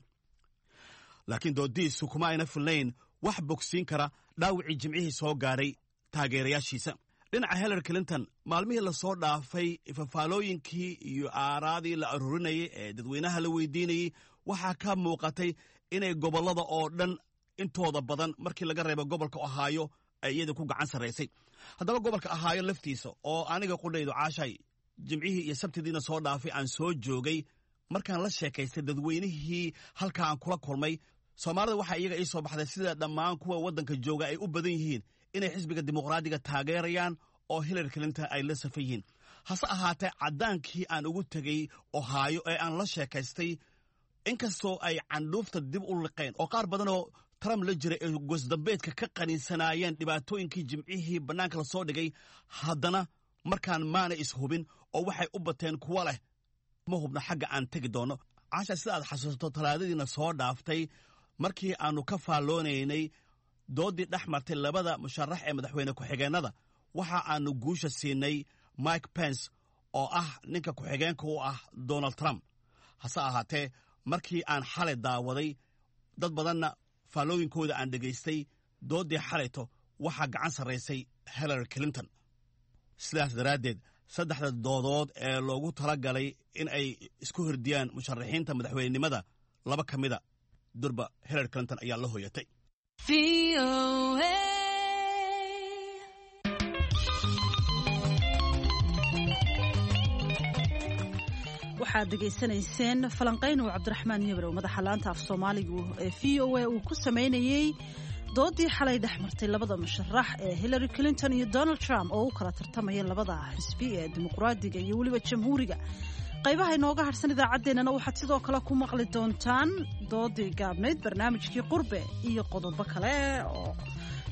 Laakiin doodiisu kuma ayna filnayn wax bogsiin kara dhaawicii Jimcihii soo gaadhay taageerayaashiisa. Dhinaca Hillary Clinton, maalmihii lasoo dhaafay fafaalooyinkii iyo aaraadii la aruurinayay ee dadweynaha la weydiinayey waxaa ka muuqatay inay gobollada oo dhan intooda badan, markii laga reebo gobolka Ohio, ay iyada ku gacan sarraysay. Haddaba gobolka Ohio laftiisa, oo aniga qudhaydu, Caashay, Jimcihii iyo Sabtidiina soo dhaafay aan soo joogay, markaan la sheekaystay dadweynihii halka aan kula kulmay, Soomaalida, waxaa iyaga ii soo baxday sida dhammaan kuwa waddanka jooga ay u badan yihiin inay xisbiga Dimuqraadiga taageerayaan oo Hillary Clinton ay la safan yihiin. Hase ahaatee, caddaankii aan ugu tegey Ohio ee aan la sheekaystay, inkastoo ay candhuufta dib u liqeen oo qaar badanoo Trump la jiray ay goosdambeedka ka qaniinsanaayeen dhibaatooyinkii Jimcihii bannaanka la soo dhigay, haddana markaan maana ishubin oo waxay u bateen kuwa leh, "Ma hubno xagga aan tegi doonno." Caasha, sida aad xasuusato, Talaadadiina soo dhaaftay markii aannu ka faalloonaynay dooddii dhex martay labada musharax ee madaxweyne ku-xigeennada, waxa aannu guusha siinay Mike Pence oo ah ninka ku-xigeenka u ah Donald Trump. Hase ahaatee, markii aan xalay daawaday, dad badanna faallooyinkooda aan dhegaystay, dooddii xalayto waxaa gacan sarraysay Hillary Clinton. Sidaas daraaddeed, Saddexda doodood ee loogu talagalay in ay isku hordiyaan musharaxiinta madaxweynenimada, laba ka mida durba Hillary Clinton ayaa la hoyatay. Waxaad dhegaysanayseen falanqayn uu Cabdiraxmaan Yebrow, madaxa laanta af Soomaaligu ee V O A, uu ku samaynayey doodii xalay dhex martay labada musharax ee Hillary Clinton iyo Donald Trump oo u kala tartamaya labada xisbi ee Dimuqraadiga iyo weliba Jamhuuriga. Qaybaha inooga harsan idaacaddeenana waxaad sidoo kale ku maqli doontaan doodii gaabnayd, barnaamijkii Qurbe iyo qodobo kale oo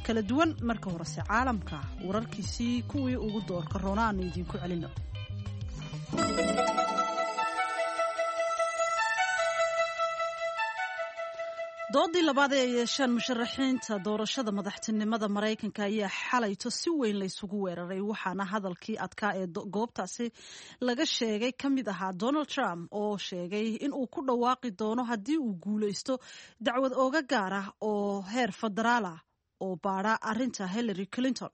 kala duwan. Marka horese caalamka wararkiisii kuwii ugu doorka roona aanu idiinku celino. Doodii labaad ee ay yeeshaan musharaxiinta doorashada madaxtinimada Maraykanka ayaa xalayto si weyn laysugu weeraray, waxaana hadalkii adkaa ee goobtaasi laga sheegay ka mid ahaa Donald Trump oo sheegay in uu ku dhawaaqi doono haddii uu guulaysto dacwad ooga gaar ah oo heer federaal ah oo baadha arrinta Hillary Clinton.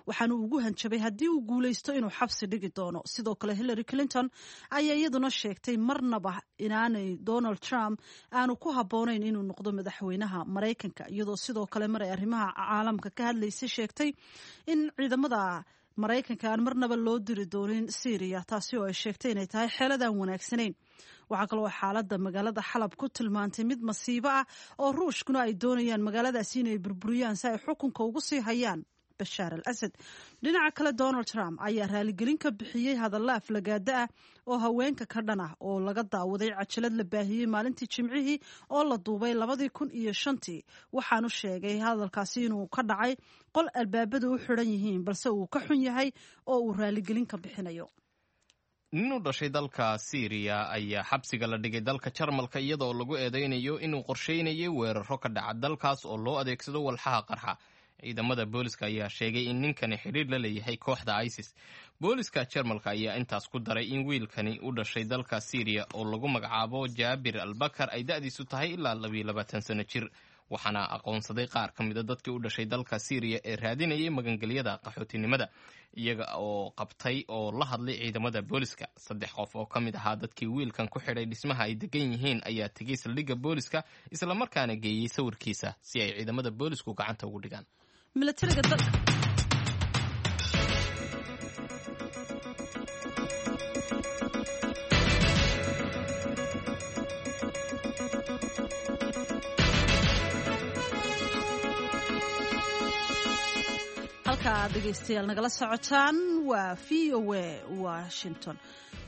Waxaanu ugu hanjabay haddii uu guulaysto inuu xabsi dhigi doono. Sidoo kale Hillary Clinton ayaa iyaduna sheegtay marnaba inaanay Donald Trump aanu ku habboonayn inuu noqdo madaxweynaha Maraykanka, iyadoo sidoo kale mar ay arrimaha caalamka ka hadlaysay sheegtay in ciidamada Maraykanka aan marnaba loo diri doonin Syria, taasi oo ay sheegtay inay tahay xeeladaan wanaagsanayn. Waxaa kaloo xaaladda magaalada Xalab ku tilmaantay mid masiibo ah oo Ruushkuna ay doonayaan magaaladaasi inay burburiyaan si ay xukunka ugu sii hayaan Bashaar al Asad. Dhinaca kale Donald Trump ayaa raaligelin ka bixiyey hadalla aflagaada ah oo haweenka ka dhan ah oo laga daawaday cajalad la baahiyey maalintii Jimcihii oo la duubay labadii kun iyo shantii. Waxaanu sheegay hadalkaasi inuu ka dhacay qol albaabadu u xidhan yihiin, balse uu ka xun yahay oo uu raaligelin ka bixinayo. Nin u dhashay dalka Siiriya ayaa xabsiga la dhigay dalka Jarmalka iyadoo lagu eedeynayo inuu qorsheynayay weeraro ka dhaca dalkaas oo loo adeegsado walxaha qarxa. Ciidamada booliska ayaa sheegay in ninkani xidhiir la leeyahay kooxda ISIS. Booliska Jarmalka ayaa intaas ku daray in wiilkani u dhashay dalka Siiriya oo lagu magacaabo Jaabir Albakar ay da'diisu tahay ilaa labiyo labaatan sano jir, waxaana aqoonsaday qaar ka mida dadkii u dhashay dalka Siiriya ee raadinayay magangelyada qaxootinimada, iyaga oo qabtay oo la hadlay ciidamada booliska. Saddex qof oo ka mid ahaa dadkii wiilkan ku xidhay dhismaha ay degan yihiin ayaa tegey saldhigga booliska, islamarkaana geeyey sawirkiisa si ay ciidamada boolisku gacanta ugu dhigaan. Halka aad dhegeystayaal nagala socotaan waa V O A Washington.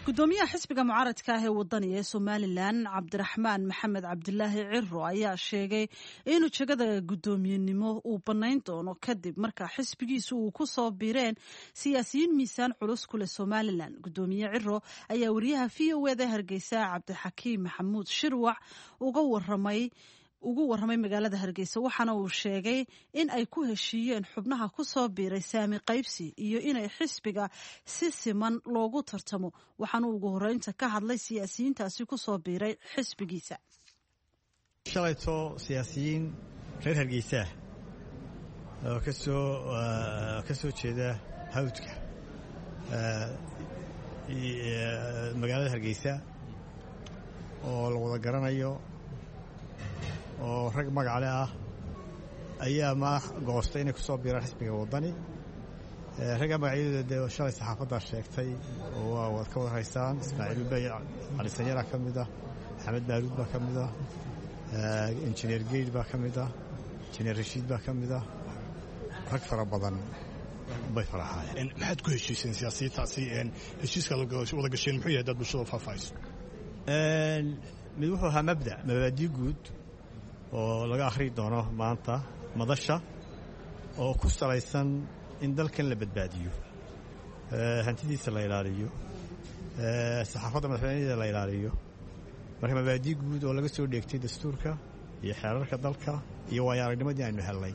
Gudoomiyaha xisbiga mucaaradka ah ee wadaniga ee Somalilan, Cabdiraxmaan Maxamed Cabdilaahi Ciro, ayaa sheegay inuu jegada guddoomiyenimo uu bannayn doono kadib marka xisbigiisu uu ku soo biireen siyaasiyiin miisaan culus ku leh Somalilan. Gudoomiye Ciro ayaa wariyaha V O A da Hargeysa Cabdixakiim Maxamuud Shirwac uga waramay ugu warramay magaalada Hargeysa, waxaana uu sheegay in ay ku heshiiyeen xubnaha ku soo biiray saami qaybsi iyo inay xisbiga si siman loogu tartamo. Waxaana ugu horeynta ka hadlay siyaasiyiintaasi ku soo biiray xisbigiisa. Shalayto siyaasiyiin reer Hargeysa oo kasoo ka soo jeeda hawdka magaalada Hargeysa oo la wada garanayo oo rag magacle ah ayaa madax goostay inay ku soo biiraan xisbiga Waddani. Ragga magacyadooda dee shalay saxaafaddaa sheegtay oo waa waad ka wada haysaan. Ismaaciil Ubey Cali Sanyara ka mid ah, Maxamed Baaruud baa ka mid ah, Injineer Geyd baa ka mid ah, Injineer Rashiid baa ka mid ah, rag fara badan bay faraxaayeen. Maxaad ku heshiiseen siyaasiyiintaasi? Heshiiska wada gasheen muxuu yahay dad bulshada faahfaahayso? Mid wuxuu ahaa mabda mabaadii guud oo laga akhri doono maanta madasha, oo ku salaysan in dalkan la badbaadiyo, hantidiisa la ilaaliyo, saxaafadda madaxweynadeeda la ilaaliyo. Marka mabaadii guud oo laga soo dheegtay dastuurka iyo xeerarka dalka iyo waayo aragnimadii aynu hellay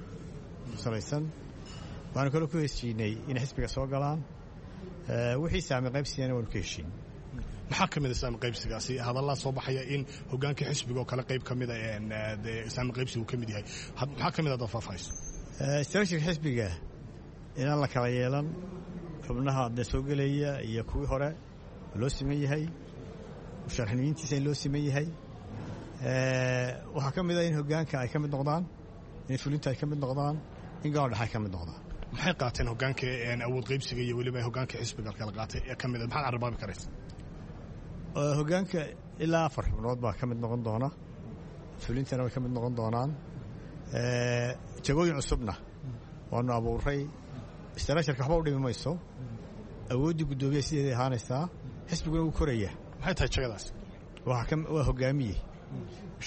ku salaysan. Waxaanu kaloo ku heshiinay inay xisbiga soo galaan, wixii saami qaybsigana waanu ka heshiin. Maxaa ka mid a saami qaybsigaasi? Hadallaa soo baxaya in hogaanka xisbiga oo kale qayb ka mida saami qaybsigu ka mid yahay. Maxaa ka mid a dad faahfaahayso? Structureka xisbiga Inaan la kala yeelan xubnaha dee soo gelaya iyo kuwii hore loo siman yahay, musharaxnimiintiisa in loo siman yahay. Waxaa ka mid ah in hoggaanka ay ka mid noqdaan, in fulinta ay ka mid noqdaan, in golaha dhexe ay ka mid noqdaan. Maxay qaateen hoggaanka awood qaybsiga iyo weliba hoggaanka xisbiga kala qaatay ee ka mid ah, maxaad carabaabi karaysa? Hoggaanka ilaa afar xubnood baa ka mid noqon doona, fulintana way ka mid noqon doonaan. Jagooyin cusubna waanu abuuray. Istaraasharka waxba u dhimi mayso, awooddii guddoomiyaha sideeday ahaanaysaa, xisbiguna wuu koraya. Maxay tahay jagadaas? Waa hogaamiye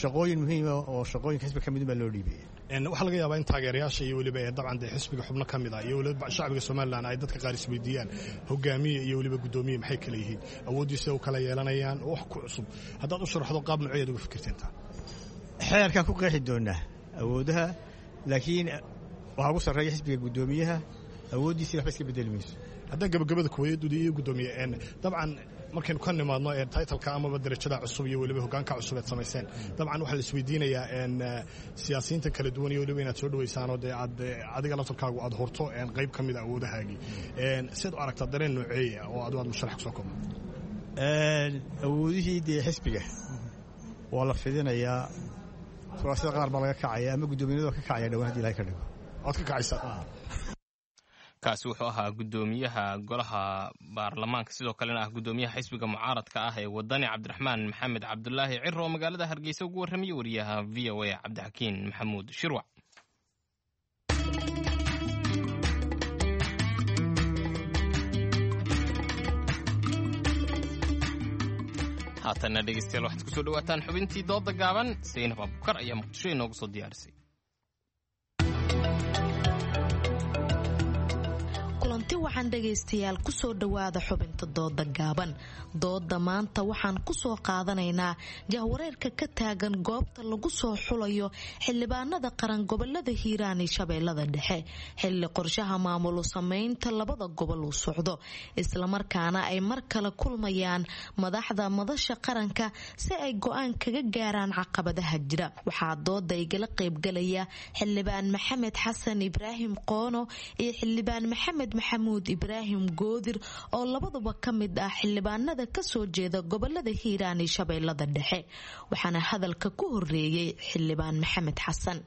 shaqooyin muhiima oo shaqooyinka xisbiga ka midun baa loo dhiibaya. Waxaa laga yaabaa in taageerayaasha iyo weliba ee dabcan dee xisbiga xubno ka mid ah iyo weliba shacbiga Somalilan ay dadka qaar isweydiiyaan hogaamiye iyo weliba guddoomiye maxay kala yihiin, awooddiisa u kala yeelanayaan, wax ku cusub haddaad u sharaxdo qaab nooceed uga fikirteen taa? Xeerkaan ku qeexi doonaa awoodaha, laakiin waxaa ugu sarreeya xisbiga guddoomiyaha, awooddiisa waxba iska bedeli mayso. Haddaan gabagabada kuweyduda iyo guddoomiye, dabcan markaynu ka nimaadno taytalka amaba darajada cusub iyo weliba hogaanka cusub eed samayseen, dabcan waxaa la isweydiinayaa siyaasiyiinta kala duwan iyo weliba inaad soo dhawaysaanoo dee aad adiga laftarkaagu aad horto qayb ka mida awoodahaagii, siad u aragtaa dareen nooceeya oo adu aad musharax kusoo koobno? Awoodihii dee xisbiga waa la fidinayaa, kuraasada qaar baa laga kacaya ama guddoomiyanada waa ka kacaya dhawaan hadii ilahay ka dhigo. Waad ka kacaysaa. Kaasi wuxuu ahaa guddoomiyaha golaha baarlamaanka, sidoo kalena ah guddoomiyaha xisbiga mucaaradka ah ee Wadani, Cabdiraxmaan Maxamed Cabdulaahi Ciro, oo magaalada Hargeysa ugu warramayay wariyaha V O A Cabdixakiin Maxamuud Shirwac. Haatanna dhegeystayaal waxaad kusoo dhawaataan xubintii dooda gaaban. Saynab Abukar ayaa Muqdisho inoogu soo diyaarisay. Kulanti waxaan dhagaystayaal kusoo dhawaada xubinta dooda gaaban. Dooda maanta waxaan kusoo qaadanaynaa jahwareerka ka taagan goobta lagu soo xulayo xildhibaanada qaran gobolada Hiiraan iyo Shabeellada Dhexe, xilli qorshaha maamulu sameynta labada gobol uu socdo, islamarkaana ay mar kale kulmayaan madaxda madasha qaranka si ay go-aan kaga gaaraan caqabadaha jira. Waxaa dooda igala qaybgalaya xildhibaan Maxamed Xasan Ibraahim Qoono iyo xildhibaan Maxamed Maxamuud Ibraahim Goodir, oo labaduba ka mid ah xildhibaanada kasoo jeeda gobolada Hiiraan iyo Shabeellada Dhexe. Waxaana hadalka ku horeeyey xildhibaan Maxamed Xasan.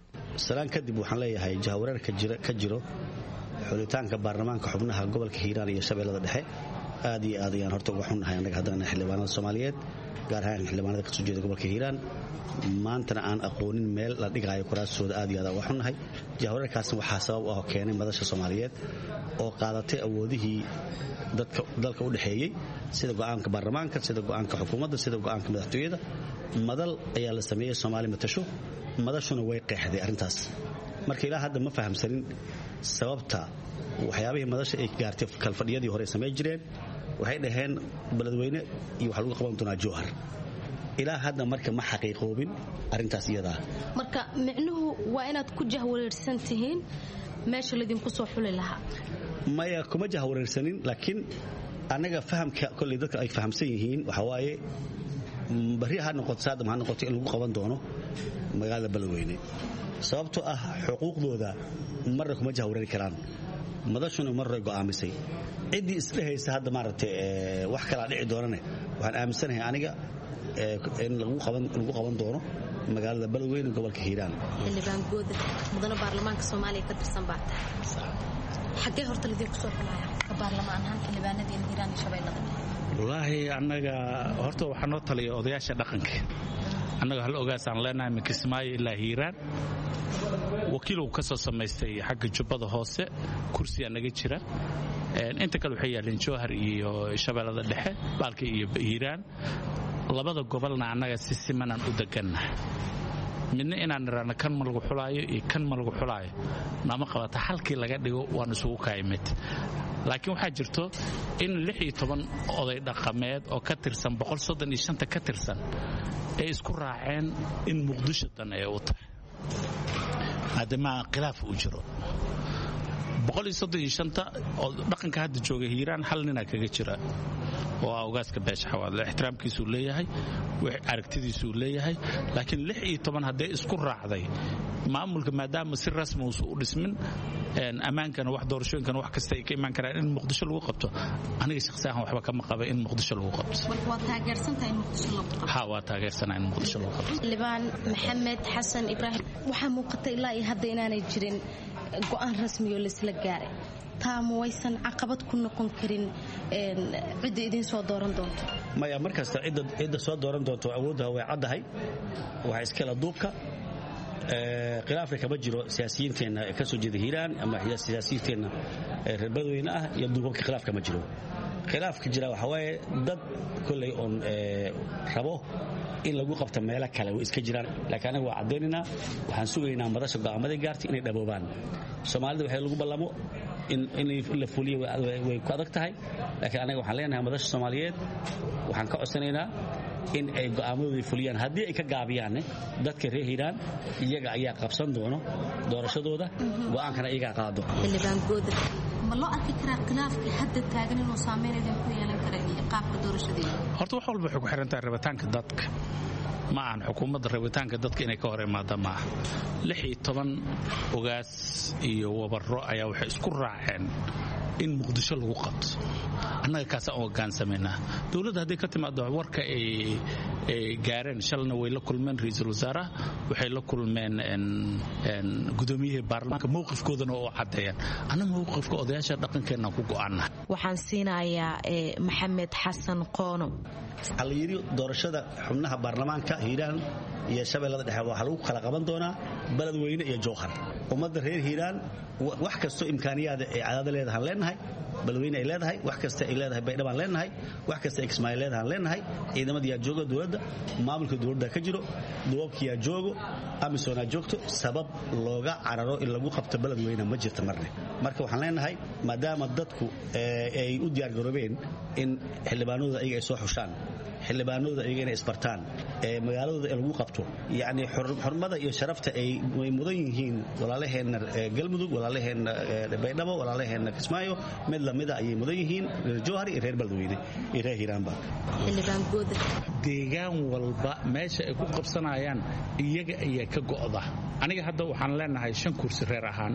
Salaan kadib, waxaan leeyahay jahawareerka ka jiro xulitaanka baarlamaanka xubnaha gobolka Hiiraan iyo Shabeellada Dhexe aad iyo aad ayaan horta uga xunnahay annaga haddana xildhibaanada Soomaaliyeed, gaar ahaan xildhibaanada kasoo jeeda gobolka Hiiraan, maantana aan aqoonin meel la dhigaayo kuraastooda. Aad iyo aad uga xunnahay jahawareerkaasna. Waxaa sabab u ah keenay madasha Soomaaliyeed oo qaadatay awoodihii dadka dalka u dhexeeyey, sida go'aanka baarlamaanka, sida go'aanka xukuumadda, sida go'aanka madaxtooyada. Madal ayaa la sameeyey Soomaali matasho, madashuna way qeexday arrintaas. Marka ilaa hadda ma fahamsanin sababta waxyaabihii madasha ay gaartay. Kalfadhiyadii hore samayn jireen waxay dhaheen Beledweyne iyo waxaa lagu qaban doonaa Jowhar. Ilaa hadda marka ma xaqiiqoobin arrintaas iyadaa. Marka micnuhu waa inaad ku jahwareersan tihiin meesha laydinku soo xuli lahaa? Maya, kuma jahwareersanin, laakiin annaga fahamka kolley dadka ay fahamsan yihiin waxaa waaye barri ha noqoto, saadam ha noqoto, in lagu qaban doono magaalada Beledweyne, sababtoo ah xuquuqdooda marna kuma jahwareeri karaan. Madashuna marray go'aamisay. Ciddii isdhehaysa hadda maaragtay wax kalaa dhici doonane, waxaan aaminsanahay aniga in lagu qaban doono magaalada Beledweyne, gobolka Hiiraan. Xildhibaan Goodir, mudane baarlamaanka Soomaaliya ka tirsan baa tahay, xaggee horta laydinku soo xulaya ka baarlamaan ahaan xildhibaanadiina Hiiraan iyo Shabeellada Dhexe? Wallaahi annaga horta waxaa noo taliya odayaasha dhaqanka. Annaga hal ogaasaan leenahay min Kismaayo ilaa Hiiraan. Wakiil uu ka soo samaystay xagga Jubbada Hoose, kursiyaa naga jira. Inta kale waxay yaaleen Jowhar iyo Shabeellada Dhexe, baalka iyo Hiiraan. Labada gobolna annaga si simanaan u degannahay. Midna inaan niraano kan ma lagu xulaayo iyo kan ma lagu xulaayo nama qabata. Halkii laga dhigo waan isugu kaayimid. Laakiin waxaa jirto in lix iyo toban oday dhaqameed oo ka tirsan boqol soddon iyo shanta ka tirsan ay isku raaceen in Muqdisho dan ay u tahay, maadaama khilaaf uu jiro. Boqol iyo soddon iyo shanta oo dhaqanka hadda jooga Hiiraan hal ninaa kaga jira oo ah ogaaska beesha Xawaadle. Ixtiraamkiisuu leeyahay, aragtidiisuu leeyahay, laakiin lix iyo toban hadday isku raacday maamulka, maadaama si rasmi uusan u dhismin, Ammaankana wax doorashooyinkana wax kasta ay ka imaan karaan in Muqdisho lagu qabto. Aniga shakhsi ahaan waxba kama qaba in Muqdisho lagu qabto. Ha, waa taageersanaa in Muqdisho lagu qabto. Xildhibaan Maxamed Xasan Ibraahim, waxaa muuqata ilaa iyo hadda inaanay jirin go'aan rasmi oo laisla gaaray. Taa ma waysan caqabad ku noqon karin cidda idiin soo dooran doonto? Maya, markasta cidda soo dooran doonto awoodda way caddahay, waxaa iskala duubka. Khilaafka kama jiro siyaasiyiinteenna ka soo jeeda Hiiraan ama siyaasiyiinteenna reer Badweyne ah iyo duubabka, khilaaf kama jiro. Khilaafka jira waxaa waaye dad kolley oon rabo in lagu qabto meelo kale way iska jiraan, laakiin anaga waa caddaynaynaa. Waxaan sugaynaa madasha go'aamaday gaartay inay dhaboobaan. Soomaalida waxay lagu ballamo in la fuliyo way ku adag tahay, laakiin anaga waxaan leenahay madasha Soomaaliyeed waxaan ka codsanaynaa in ay go'aamadooda fuliyaan. Haddii ay ka gaabiyaanne, dadka reer Hiiraan iyaga ayaa qabsan doono doorashadooda, go'aankana iyagaa qaado. Xildhibaan Goodir, ma loo arki karaa khilaafka hadda taagan inuu saameyn idin ku yeelan kara iyo qaabka doorashadeeda? Horta wax walba waxay ku xiran tahay rabitaanka dadka. Ma ahan xukuumadda rabitaanka dadka inay ka hor imaada ma aha. Lix iyo toban ogaas iyo wabarro ayaa waxay isku raaceen in Muqdisho lagu qabto. Annaga kaasaan u hogaansamaynaa. Dowladda hadday ka timaado warka ay gaareen, shalna way la kulmeen ra-iisul wasaaraha, waxay la kulmeen gudoomiyihii baarlamaanka, mowqifkoodana oo caddeeyaan. Annaga mowqifka odayaasha dhaqankeenna ku go'aana. Waxaan siinayaa Maxamed Xasan Qoono. Waxaa la yidhi doorashada xubnaha baarlamaanka Hiiraan iyo Shabeellada Dhexe waxaa lagu kala qaban doonaa Beledweyne iyo Jowhar. Ummadda reer Hiiraan wax kastoo imkaaniyaada ay cadaada leedahaan leenahay, Beledweyne ay leedahay, wax kasta ay leedahay Baydhabaan leenahay, wax kasta ay Kismaayo leedahaan leenahay. Ciidamada yaa jooga dowladda, maamulka dowladda ka jiro, duwabki yaa joogo, amisonaa joogto. Sabab looga cararo in lagu qabto Beledweyne ma jirta marne. Marka waxaan leenahay maadaama dadku ay u diyaargaroobeen in xildhibaanadooda ayaga ay soo xushaan, xildhibaanadooda ayaga inay isbartaan, ee magaaladooda ee lagu qabto, yacni xurmada iyo sharafta ay mudan yihiin walaalaheenna Galmudug, walaalaheenna Baydhabo, walaalaheenna Kismaayo, mid lamida ayay mudan yihiin reer Jowhar iyo reer Beledweyne iyo reer Hiiraanba. Deegaan walba meesha ay ku qabsanayaan iyaga ayaa ka go'da. Aniga hadda waxaan leenahay shan kursi reer ahaan,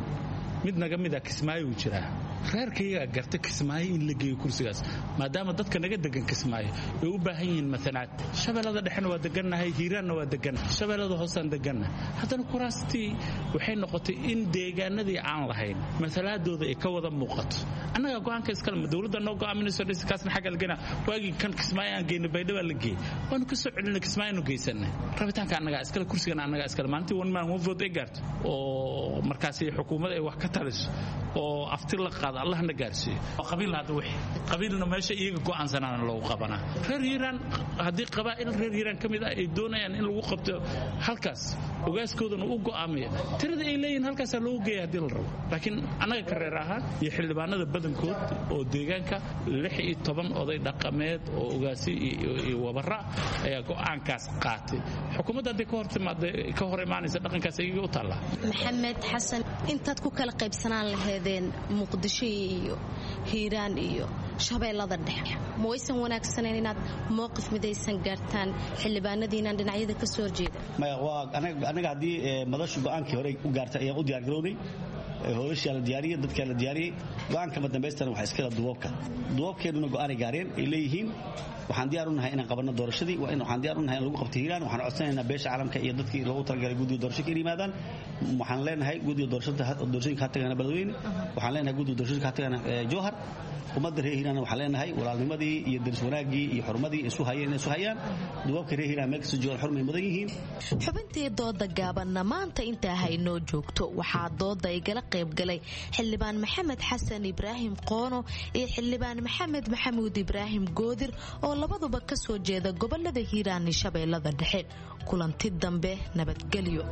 mid naga mida Kismaayo uu jiraa. Reerkayagaa garta Kismaayo in la geeyo kursigaas, maadaama dadka naga degan Kismaayo ay u baahan yihiin matalaad. Shabeellada Dhexena waa degannahay, Hiiraanna waa degannahay, Shabeellada Hoosaan degannahay. Haddana kuraastii waxay noqotay in deegaanadii aan lahayn matalaadooda ay ka wada muuqato. Annagaa go'aanka iskale, ma dowladda noo go'aaminayso kaasna xagga la geyna. Waagii kan Kismaayo aan geyno Baydhaba la geeyey, waanu ka soo celinay Kismaayo geysanay. Rabitaanka annagaa iskale, kursigana annagaa iskale. Maalintii one man one vote ay gaarto oo markaasi xukuumadda ay wax ka taliso oo afti la qaado, allahna gaarsiiyo. Qabiil hadda wixii qabiilna meesha iyaga go'aansanaana loogu qabanaa. Reer Hiiraan haddii qabaa'il reer Hiiraan ka mid ah ay doonayaan in lagu qabto halkaas, ogaaskoodana u go'aamaya tirada ay leeyihiin halkaasaa loogu geeya haddii la rabo. Laakiin annaga ka reer ahaan iyo xildhibaanada badankood oo deegaanka lix iyo toban oday dhaqameed oo ogaasi iyo wabara ayaa go'aankaas qaatay. Xukuumadda hadday ka hor timaada ka hor imaanaysa dhaqankaas iyaga u taallaa. Maxamed Xasan, intaad ku kala qaybsanaan laheedeen Muqdisho iyo Hiiraan iyo Shabeellada Dhexe, ma waysan wanaagsanayn inaad mowqif midaysan gaartaan xildhibaanadiinaan dhinacyada ka soo horjeeda? Maya, waa anaga haddii madashu go'aankii hore u gaartay ayaan u diyaargarownay. Hoolashaa la diyaariyey, dadkaa la diyaariyey, go'aanka madambaystana waxaa iskala duwabka. Duwabkeennuna go'aanay gaareen ay leeyihiin waxaan diyaar u nahay inaan qabanno doorashadii, waxaan diyaar u nahay in lagu qabto Hiiraan. Waxaan codsanaynaa beesha caalamka iyo dadkii loogu talagalay guddiga doorashada in yimaadaan. Waxaan leenahay guddiga doorashooyinka ha tagana Beledweyne, waxaan leenahay guddiga doorashooyinka ha tagana Jowhar. Ummadda reer Hiiraan waxaan leenahay walaalnimadii iyo daris wanaaggii iyo xurmadii isu hayeen inay isu hayaan. Duwabka reer Hiiraan meel kasta joogaan xurmay mudan yihiin. Xubintii dooda gaabanna maanta intaa haynoo joogto. Waxaa dooda igala qaybgalay xildhibaan Maxamed Xasan Ibraahim Qoono iyo xildhibaan Maxamed Maxamuud Ibraahim Goodir oo labaduba ka soo jeeda gobolada Hiiraan iyo Shabeellada Dhexe. Kulanti dambe, nabadgelyo.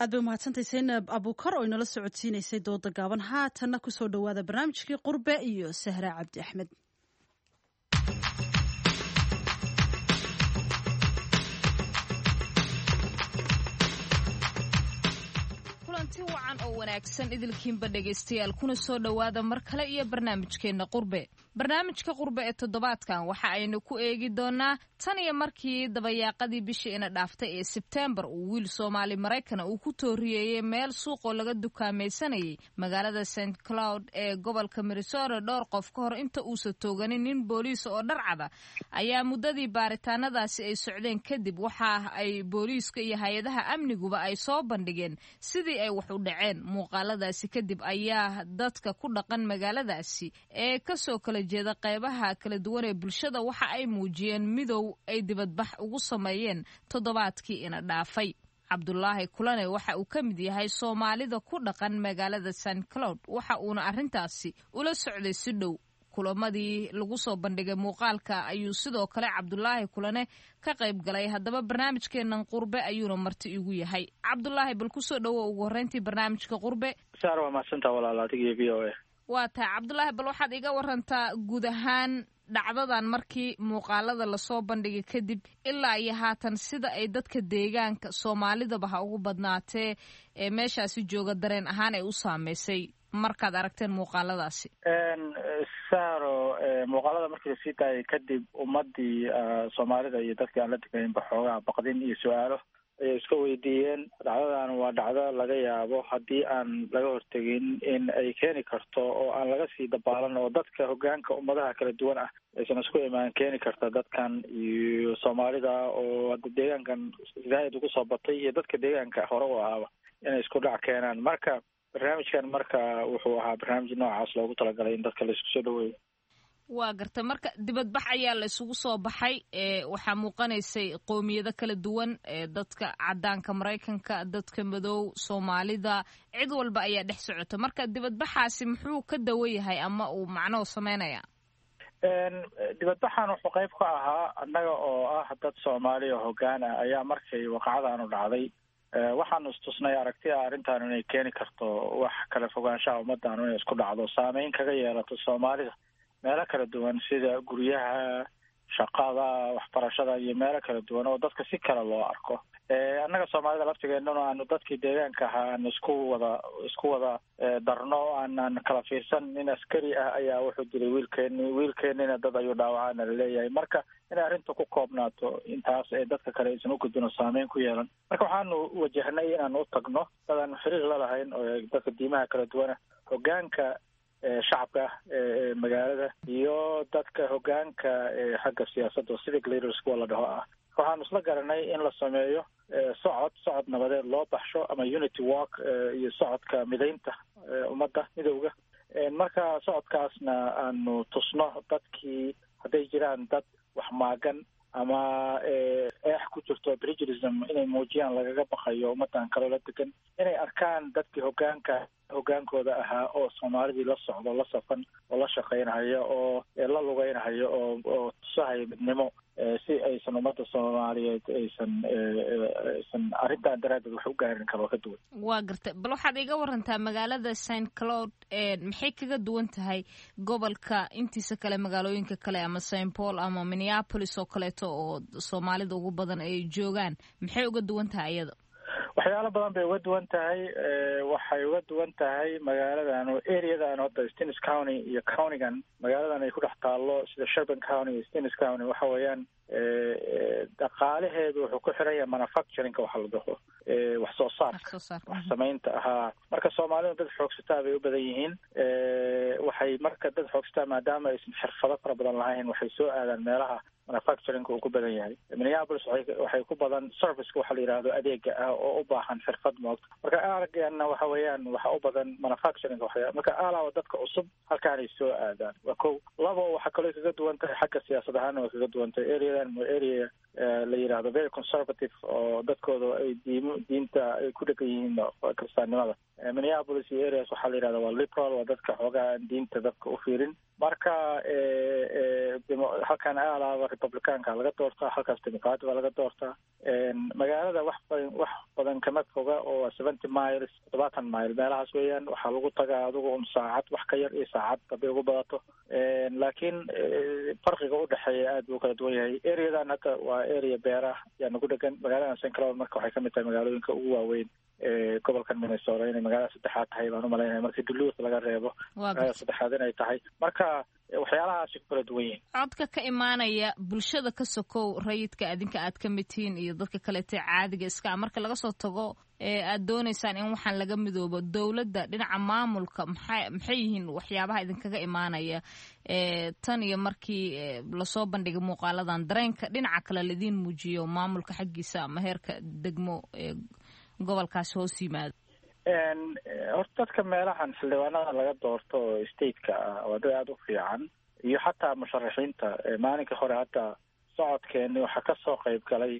Aad bay umahadsantay Saynab Abuukar oo inala socodsiinaysay dooda gaaban. Haatanna kusoo dhowaada barnaamijkii Qurbe iyo Sahra Cabdi Axmed. Kulanti wacan oo wanaagsan idilkiinba dhegaystayaal, kuna soo dhowaada mar kale iyo barnaamijkeenna Qurbe. Barnaamijka Qurbe ee toddobaadkan waxa aynu ku eegi doonaa tan iyo markii dabayaaqadii bishii ina dhaaftay ee Sebteembar uu wiil Soomaali Maraykana uu ku tooriyeeyey meel suuqoo laga dukaamaysanayay magaalada Saint Cloud ee gobolka Minnesota dhowr qof ka hor inta uusan tooganin nin booliis oo dharcada ayaa muddadii baaritaanadaasi ay socdeen kadib waxa ay booliiska iyo hay-adaha amniguba ay soo bandhigeen sidii ay wax u dhaceen. Muuqaaladaasi kadib ayaa dadka ku dhaqan magaaladaasi ee kasoo kala jeeda qeybaha kala duwan ee bulshada waxa ay muujiyeen midow ay dibadbax ugu sameeyeen toddobaadkii ina dhaafay. Cabdulaahi Kulane waxa uu ka mid yahay Soomaalida ku dhaqan magaalada Saint Cloud, waxa uuna arrintaasi ula socday si dhow. Kulamadii lagu soo bandhigay muuqaalka ayuu sidoo kale Cabdulaahi Kulane ka qayb galay. Haddaba barnaamijkeenan Qurbe ayuuna marti igu yahay. Cabdulaahi, bal kusoo dhowo ugu horreyntii barnaamijka Qurbe. Saar, waa mahadsantaa walaal, adiga iyo V O A. Waa tahay Cabdulaahi, bal waxaad iga warantaa guud ahaan dhacdadan markii muuqaalada lasoo bandhigay kadib ilaa iyo haatan sida ay dadka deegaanka Soomaalidaba ha ugu badnaatee ee meeshaasi jooga dareen ahaan ay u saameysay markaad aragteen muuqaaladaasi. Saaro, muuqaalada markii lasii daayay kadib ummadii Soomaalida iyo dadkii aan la degaynba xoogaha baqdin iyo su-aalo ayay iska weydiiyeen. Dhacdadan waa dhacdo laga yaabo haddii aan laga hortegin in ay keeni karto oo aan laga sii dabaalan oo dadka hoggaanka ummadaha kala duwan ah aysan isku imaan keeni karta dadkan iyo Soomaalida oo hadda deegaankan zaaid ugu soo batay iyo dadka deegaanka hore u ahaaba inay isku dhac keenaan. Marka barnaamijkan marka wuxuu ahaa barnaamij noocaas loogu talagalay in dadka la isku soo dhaweeyo. Waa garta, marka dibadbax ayaa la isugu soo baxay, waxaa muuqanaysay qowmiyado kala duwan, dadka cadaanka Maraykanka, dadka madow, Soomaalida, cid walba ayaa dhex socota. Marka dibadbaxaasi muxuu ka dawan yahay ama uu macnaho sameynaya? Dibadbaxan wuxuu qayb ka ahaa annaga oo ah dad Soomaaliya hoggaan ah ayaa markay waqacadaanu dhacday waxaanu istusnay aragti ah arrintaanu inay keeni karto wax kala fogaanshaha ummaddaanu inay isku dhacdo, saameyn kaga yeelato Soomaalida meelo kala duwan sida guryaha, shaqada, waxbarashada iyo meelo kala duwan oo dadka si kale loo arko. Annaga Soomaalida laftigeennuna aanu dadkii deegaanka ahaa aanu isku wada isku wada darno, aanan kala fiirsan. Nin askari ah ayaa wuxuu dilay wiilkeeni, wiilkeenina dad ayuu dhaawacaana laleeyahay. Marka inay arrinta ku koobnaato intaas ee dadka kale aysan u gudbin oo saameyn ku yeelan. Marka waxaanu wajahnay inaanu u tagno dad aanu xiriir la lahayn oo dadka diimaha kala duwana, hoggaanka shacabka ee magaalada iyo dadka hoggaanka xagga siyaasadda civic leaders kuwa la dhaho ah. Waxaanu isla garanay in la sameeyo socod socod nabadeed loo baxsho ama unity walk iyo socodka midaynta ummadda midowga. Marka socodkaasna aanu tusno dadkii hadday jiraan dad wax maagan ama eex ku jirto prejurism inay muujiyaan lagaga baqayo ummaddan kaloo la degan, inay arkaan dadkii hoggaanka hoggaankooda ahaa oo Soomaalidii la socdo, la safan oo la shaqaynhayo oo la lugeynhayo oo oo tusahaya midnimo, si aysan ummadda Soomaaliyeed aysan aysan arrintan daraaddeed wax u gaarin kaloo ka duwan. Waa gartay, bal waxaad iga warantaa magaalada Saint Cloud maxay kaga duwan tahay gobolka intiisa kale, magaalooyinka kale ama Saint Paul ama Minneapolis oo kaleeto oo Soomaalida ugu badan ay joogaan, maxay uga duwan tahay iyada? Waxyaalo badan bay uga duwan tahay. Waxay uga duwan tahay magaaladan areadan hadda Stearns County iyo countygan magaaladan ay ku dhex taallo sida Sherburne County iyo Stearns County waxa weeyaan dhaqaalaheedu wuxuu ku xiran yahay manufacturingka waxa la dhaho, wax soo saarka, wax samaynta ahaa. Marka Soomaalida dad xoogsataa bay u badan yihiin. Waxay marka dad xoogsataa maadaama aysan xirfado fara badan lahayn waxay soo aadaan meelaha manufacturingka uu ku badan yahay. Minneapolis waxay ku badan serviceka waxa la yidhaahdo adeega ah oo u baahan xirfad moogta. Marka arageenna waxa weeyaan waxa u badan manufacturingka waxya. Marka alaaba dadka cusub halkaanay soo aadaan waa kow. Labo, waxaa kaloo kaga duwan tahay xagga siyaasad ahaana way kaga duwan tahay. Areadan waa area la yidhaahdo very conservative oo dadkooda ay diim diinta ay ku dhegan yihiin kiristaannimada. Minneapolis iyo areas waxaa la yidhahda waa liberal, waa dadka xoogaha aan diinta dadka u fiirin. Marka halkan alaaba Republicanka laga doortaa, halkaas Democratic baa laga doortaa. Magaalada wax badan wax badan kama foga oo seventy miles, toddobaatan mile meelahaas weeyaan. Waxaa lagu tagaa adigu un saacad wax ka yar iyo saacad hadday ugu badato, laakiin farqiga udhexeeya aad buu kala duwan yahay. Areadan hadda waa area beerah yaa nagu dhegan magaaladan Saint Cloud. Marka waxay kamid tahay magaalooyinka ugu waaweyn Gobolkan Minnesota inay magaalada saddexaad tahay baan umalaynaya, markii Duluth laga reebo magaalada saddexaad inay tahay. Marka waxyaalahaasi ku kala duwan yihiin. Codka ka imaanaya bulshada ka sokow rayidka adinka aad ka mid tihiin iyo dadka kaleete caadiga iska, marka laga soo tago aad doonaysaan in waxaan laga midoobo, dowladda dhinaca maamulka maxay maxay yihiin waxyaabaha idinkaga imaanaya tan iyo markii lasoo bandhigay muuqaaladan, dareenka dhinaca kale laidiin muujiyo maamulka xaggiisa ama heerka degmo ee gobolkaasi hoos yimaado? Horta dadka meelahan xildhibaanada laga doorto oo stateka ah waa dad aada u fiican, iyo xataa musharaxiinta. Maalinka hore hadda socodkeeni waxaa kasoo qayb galay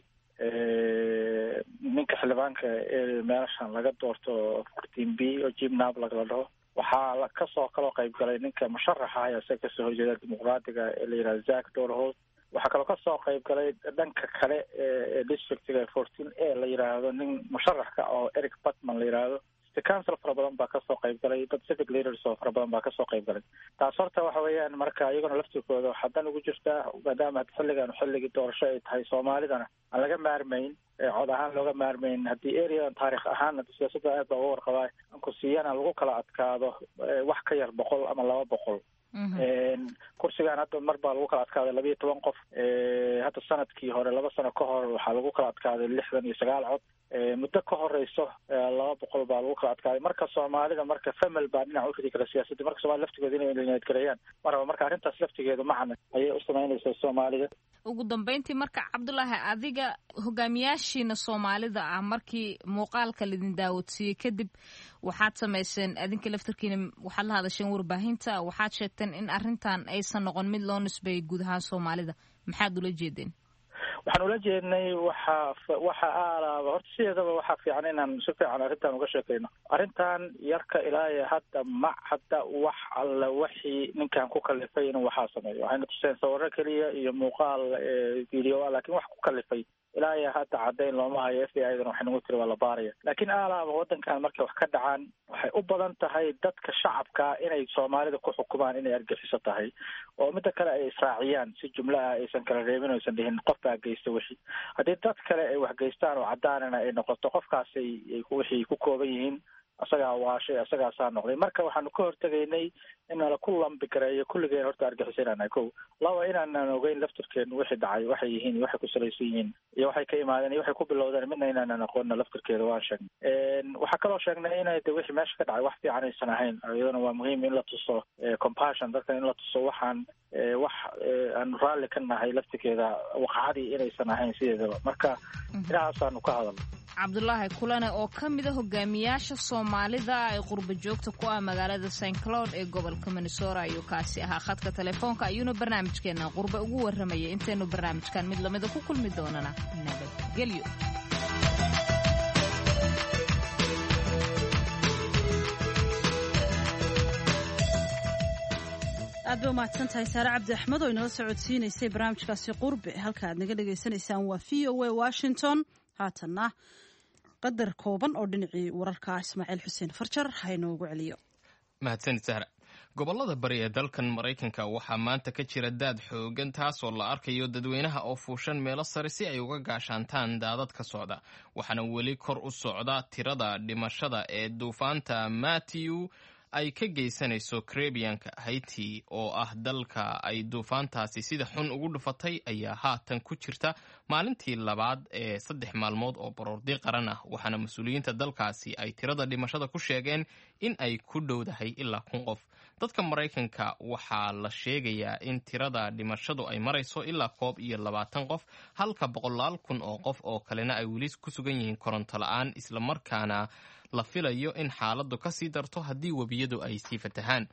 ninka xildhibaanka ee meelashan laga doorto fourteen B oo Jim Nablag la dhaho. Waxaa kasoo kaloo qayb galay ninka musharaxa ah isaga kasoo horjeeda dimuqraadiga ee la yidhahdo Zach Dorholt. Waxaa kaloo kasoo qayb galay dhanka kale ee districtiga fourteen A la yidhaahdo nin musharaxka oo Eric Batman la yidhaahdo. City council fara badan baa kasoo qayb galay, dad civic leaders oo fara badan baa kasoo qayb galay. Taas horta waxa weeyaan marka iyaguna laftirkooda waxaa dan ugu jirtaa, maadaama xilligan xilligii doorasho ay tahay, Soomaalidana aan laga maarmayn, cod ahaan looga maarmayn, haddii areadan taarikh ahaan siyaasadda aad baa uga warqabaa kursiyana lagu kala adkaado wax ka yar boqol ama laba boqol. Kursigan hadda mar baa lagu kala adkaaday labiiyo toban qof. Hadda sanadkii hore, laba sano ka hor, waxaa lagu kala adkaaday lixdan iyo sagaal cod. Muddo ka horeyso laba boqol baa lagu kala adkaaday. Marka Soomaalida marka famil baa dhinac u ridi kara siyaasadda, marka Soomaalida laftigooda inay nabadgeleeyaan maraba. Marka arrintaas laftigeedu macna ayay u samaynaysaa Soomaalida. Ugu dambeyntii marka, Cabdulaahi, adiga hogaamiyaashiina Soomaalida ah markii muuqaalka laidin daawadsiiyey kadib waxaad samayseen adinka laftarkiina, waxaad la hadasheen warbaahinta, waxaad sheegteen in arrintan aysan noqon mid loo nisbeeyay guud ahaan Soomaalida. Maxaad ula jeedeen? Waxaan ula jeednay waxa waxa aalaaba horta sideedaba waxaa fiican inaan si fiican arrintan uga sheekayno. Arrintan yarka ilaa iyo hadda ma hadda wax alla wixii ninkan ku kalifay inuu waxaa sameeyo. Waxayna tuseen sawiro keliya iyo muuqaal video ah, laakiin wax ku kalifay ilaa iyo hadda caddayn looma hayo. F B I dana waxay nagu tiri waa la baaraya. Laakiin aalaaba waddankan markay wax ka dhacaan waxay u badan tahay dadka shacabka inay Soomaalida ku xukumaan inay argaxiso tahay, oo midda kale ay israaciyaan si jumlo ah, aysan kala reebin, aysan dhihin qof baa geysta wixii. Haddii dad kale ay wax geystaan oo caddaanana ay noqoto qofkaasay wixii ku kooban yihiin, asagaa waashay, asagaasaa noqday. Marka waxaanu ka hortegaynay in nala ku lambigareeyo kulligeen horta argixisa inaan nahay kow, laba inaanan ogeyn laftirkeenu wixii dhacay waxay yihiin iyo waxay ku salaysan yihiin iyo waxay ka imaadeen iyo waxay ku bilowdeen midna inaanan aqoonna laftirkeeda waan sheegnay. Waxaa kaloo sheegnay inay de wixii meesha ka dhacay wax fiican aysan ahayn. Iyadana waa muhiim in la tuso compassion dadkan, in la tuso waxaan wax aanu raalli ka nahay laftirkeeda waqacadii inaysan ahayn sideedaba. Marka inahaasaanu ka hadalno. Cabdulaahi Kulane oo ka mid a hogaamiyaasha Soomaalida ee qurba joogta ku ah magaalada Saint Cloud ee gobolka Minnesota ayuu kaasi ahaa. Khadka telefoonka ayuuna barnaamijkeena qurbe ugu warramayay. Intaynu barnaamijkan mid lamida ku kulmi doonana, nabadgelyo. Aad bay umahadsan tahay Saare Cabdi Axmed oo inala socodsiinaysay barnaamijkaasi qurbe. Halka aad naga dhagaysanaysaan waa V O A Washington. Haatanna qadar kooban oo dhinacii wararka, Ismaaciil Xuseen Farjar ha inoogu celiyo. Mahadsanid Sahra. Gobollada bari ee dalkan Maraykanka waxaa maanta ka jira daad xoogan, taasoo la arkayo dadweynaha oo fuushan meelo sare si ay uga gaashaantaan daadad ka socda. Waxaana weli kor u socda tirada dhimashada ee duufaanta Matthew ay ka geysanayso Caribbeanka. Haiti oo ah dalka ay duufaantaasi sida xun ugu dhufatay ayaa haatan ku jirta maalintii labaad ee saddex maalmood oo baroordi qaran ah, waxaana mas-uuliyiinta dalkaasi ay tirada dhimashada ku sheegeen in ay ku dhowdahay ilaa kun qof. Dadka Maraykanka waxaa la sheegayaa in tirada dhimashadu ay marayso ilaa koob iyo labaatan qof, halka boqolaal kun oo qof oo kalena ay weli ku sugan yihiin koronto la-aan, islamarkaana la filayo in xaaladdu ka sii darto haddii webiyadu ay sii fatahaan.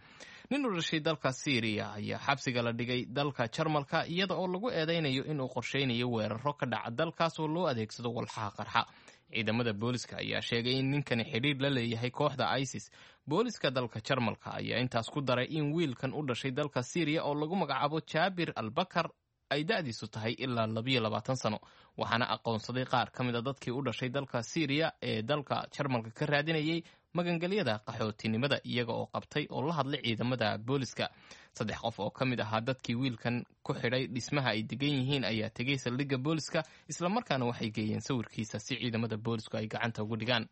Nin u dhashay dalka Siiriya ayaa xabsiga la dhigay dalka Jarmalka iyada oo lagu eedeynayo inuu qorsheynayo weeraro ka dhaca dalkaas oo loo adeegsado walxaha qarxa. Ciidamada booliska ayaa sheegay in ninkani xidhiir la leeyahay kooxda ISIS. Booliska dalka Jarmalka ayaa intaas ku daray in wiilkan u dhashay dalka Siiriya oo lagu magacaabo Jaabir Albakar ay da'diisu tahay ilaa labiyo labaatan sano, waxaana aqoonsaday qaar ka mid a dadkii u dhashay dalka Siiriya ee dalka Jarmalka ka raadinayay magangelyada qaxootinimada, iyaga oo qabtay oo la hadlay ciidamada booliska. Saddex qof oo ka mid ahaa dadkii wiilkan ku xidhay dhismaha ay degan yihiin ayaa tegay saldhigga booliska, islamarkaana waxay geeyeen sawirkiisa si ciidamada boolisku ay gacanta ugu dhigaan.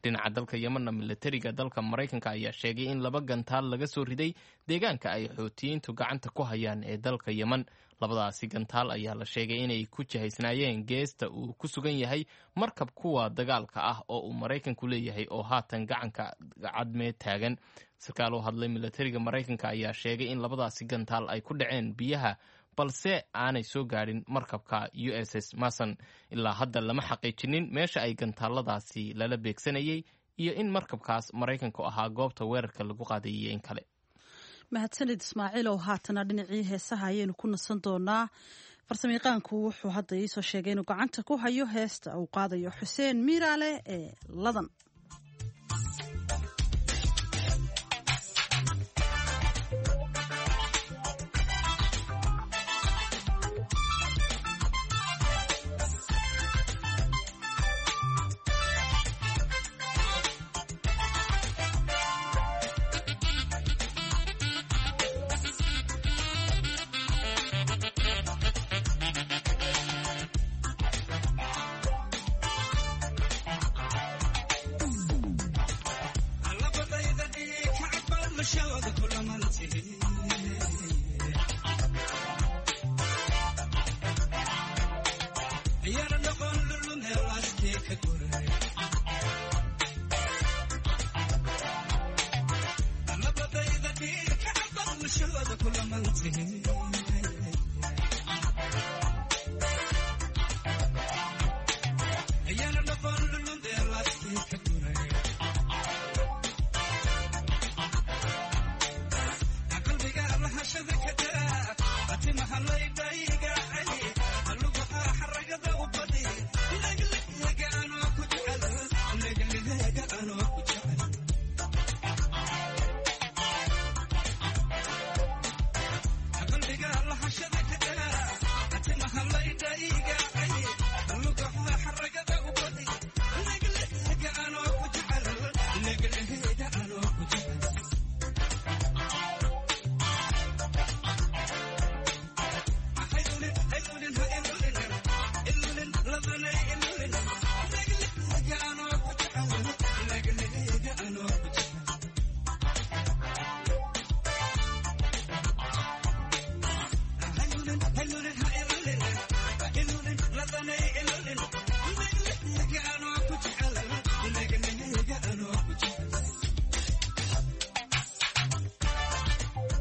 Dhinaca dalka Yemenna, milatariga dalka Maraykanka ayaa sheegay in laba gantaal laga soo riday deegaanka ay Xuutiyiintu gacanta ku hayaan ee dalka Yemen. Labadaasi gantaal ayaa la sheegay inay ku jihaysnaayeen geesta uu ku sugan yahay markab kuwa dagaalka ah oo uu Maraykanku leeyahay oo haatan gacanka Cadmeed taagan. Sarkaal u hadlay milatariga Maraykanka ayaa sheegay in labadaasi gantaal ay ku dhaceen biyaha, balse aanay soo gaadhin markabka U S S Mason. Ilaa hadda lama xaqiijinin meesha ay gantaaladaasi lala beegsanayay iyo in markabkaas Maraykanku ahaa goobta weerarka lagu qaadayay iyo in kale. Mahadsanid, Ismaaciil. Oo haatana dhinacii heesaha ayaynu ku nasan doonaa. Farsamayaqaanku wuxuu hadda iisoo sheegay inuu gacanta ku hayo heesta uu qaadayo Xuseen Miiraale ee Ladan.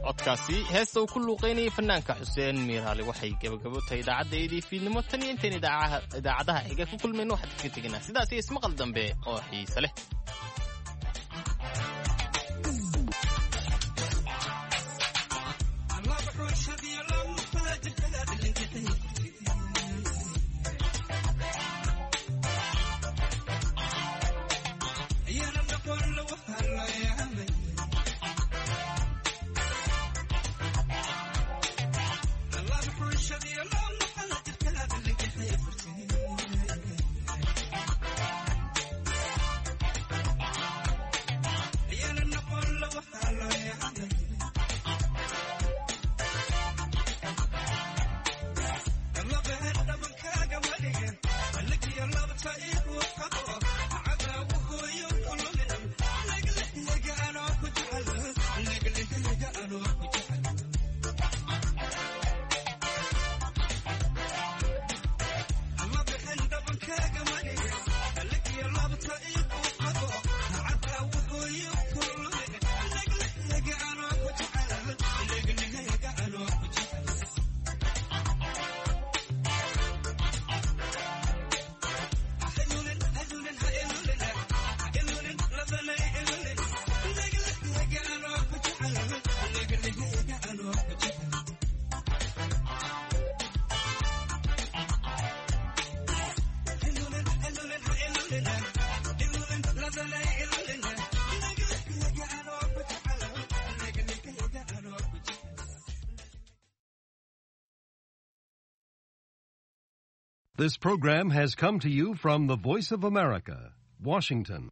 Codkaasi heesta uu ku luuqaynayay fanaanka Xuseen Miiraali waxay gabagabo tahay idaacaddaydii fiidnimo. Tan iyo intayn idaacadaha xiga ku kulmayno, waxaan kaga tegaynaa sidaas iyo ismaqal dambe oo xiise leh. This program has come to you from the Voice of America, Washington.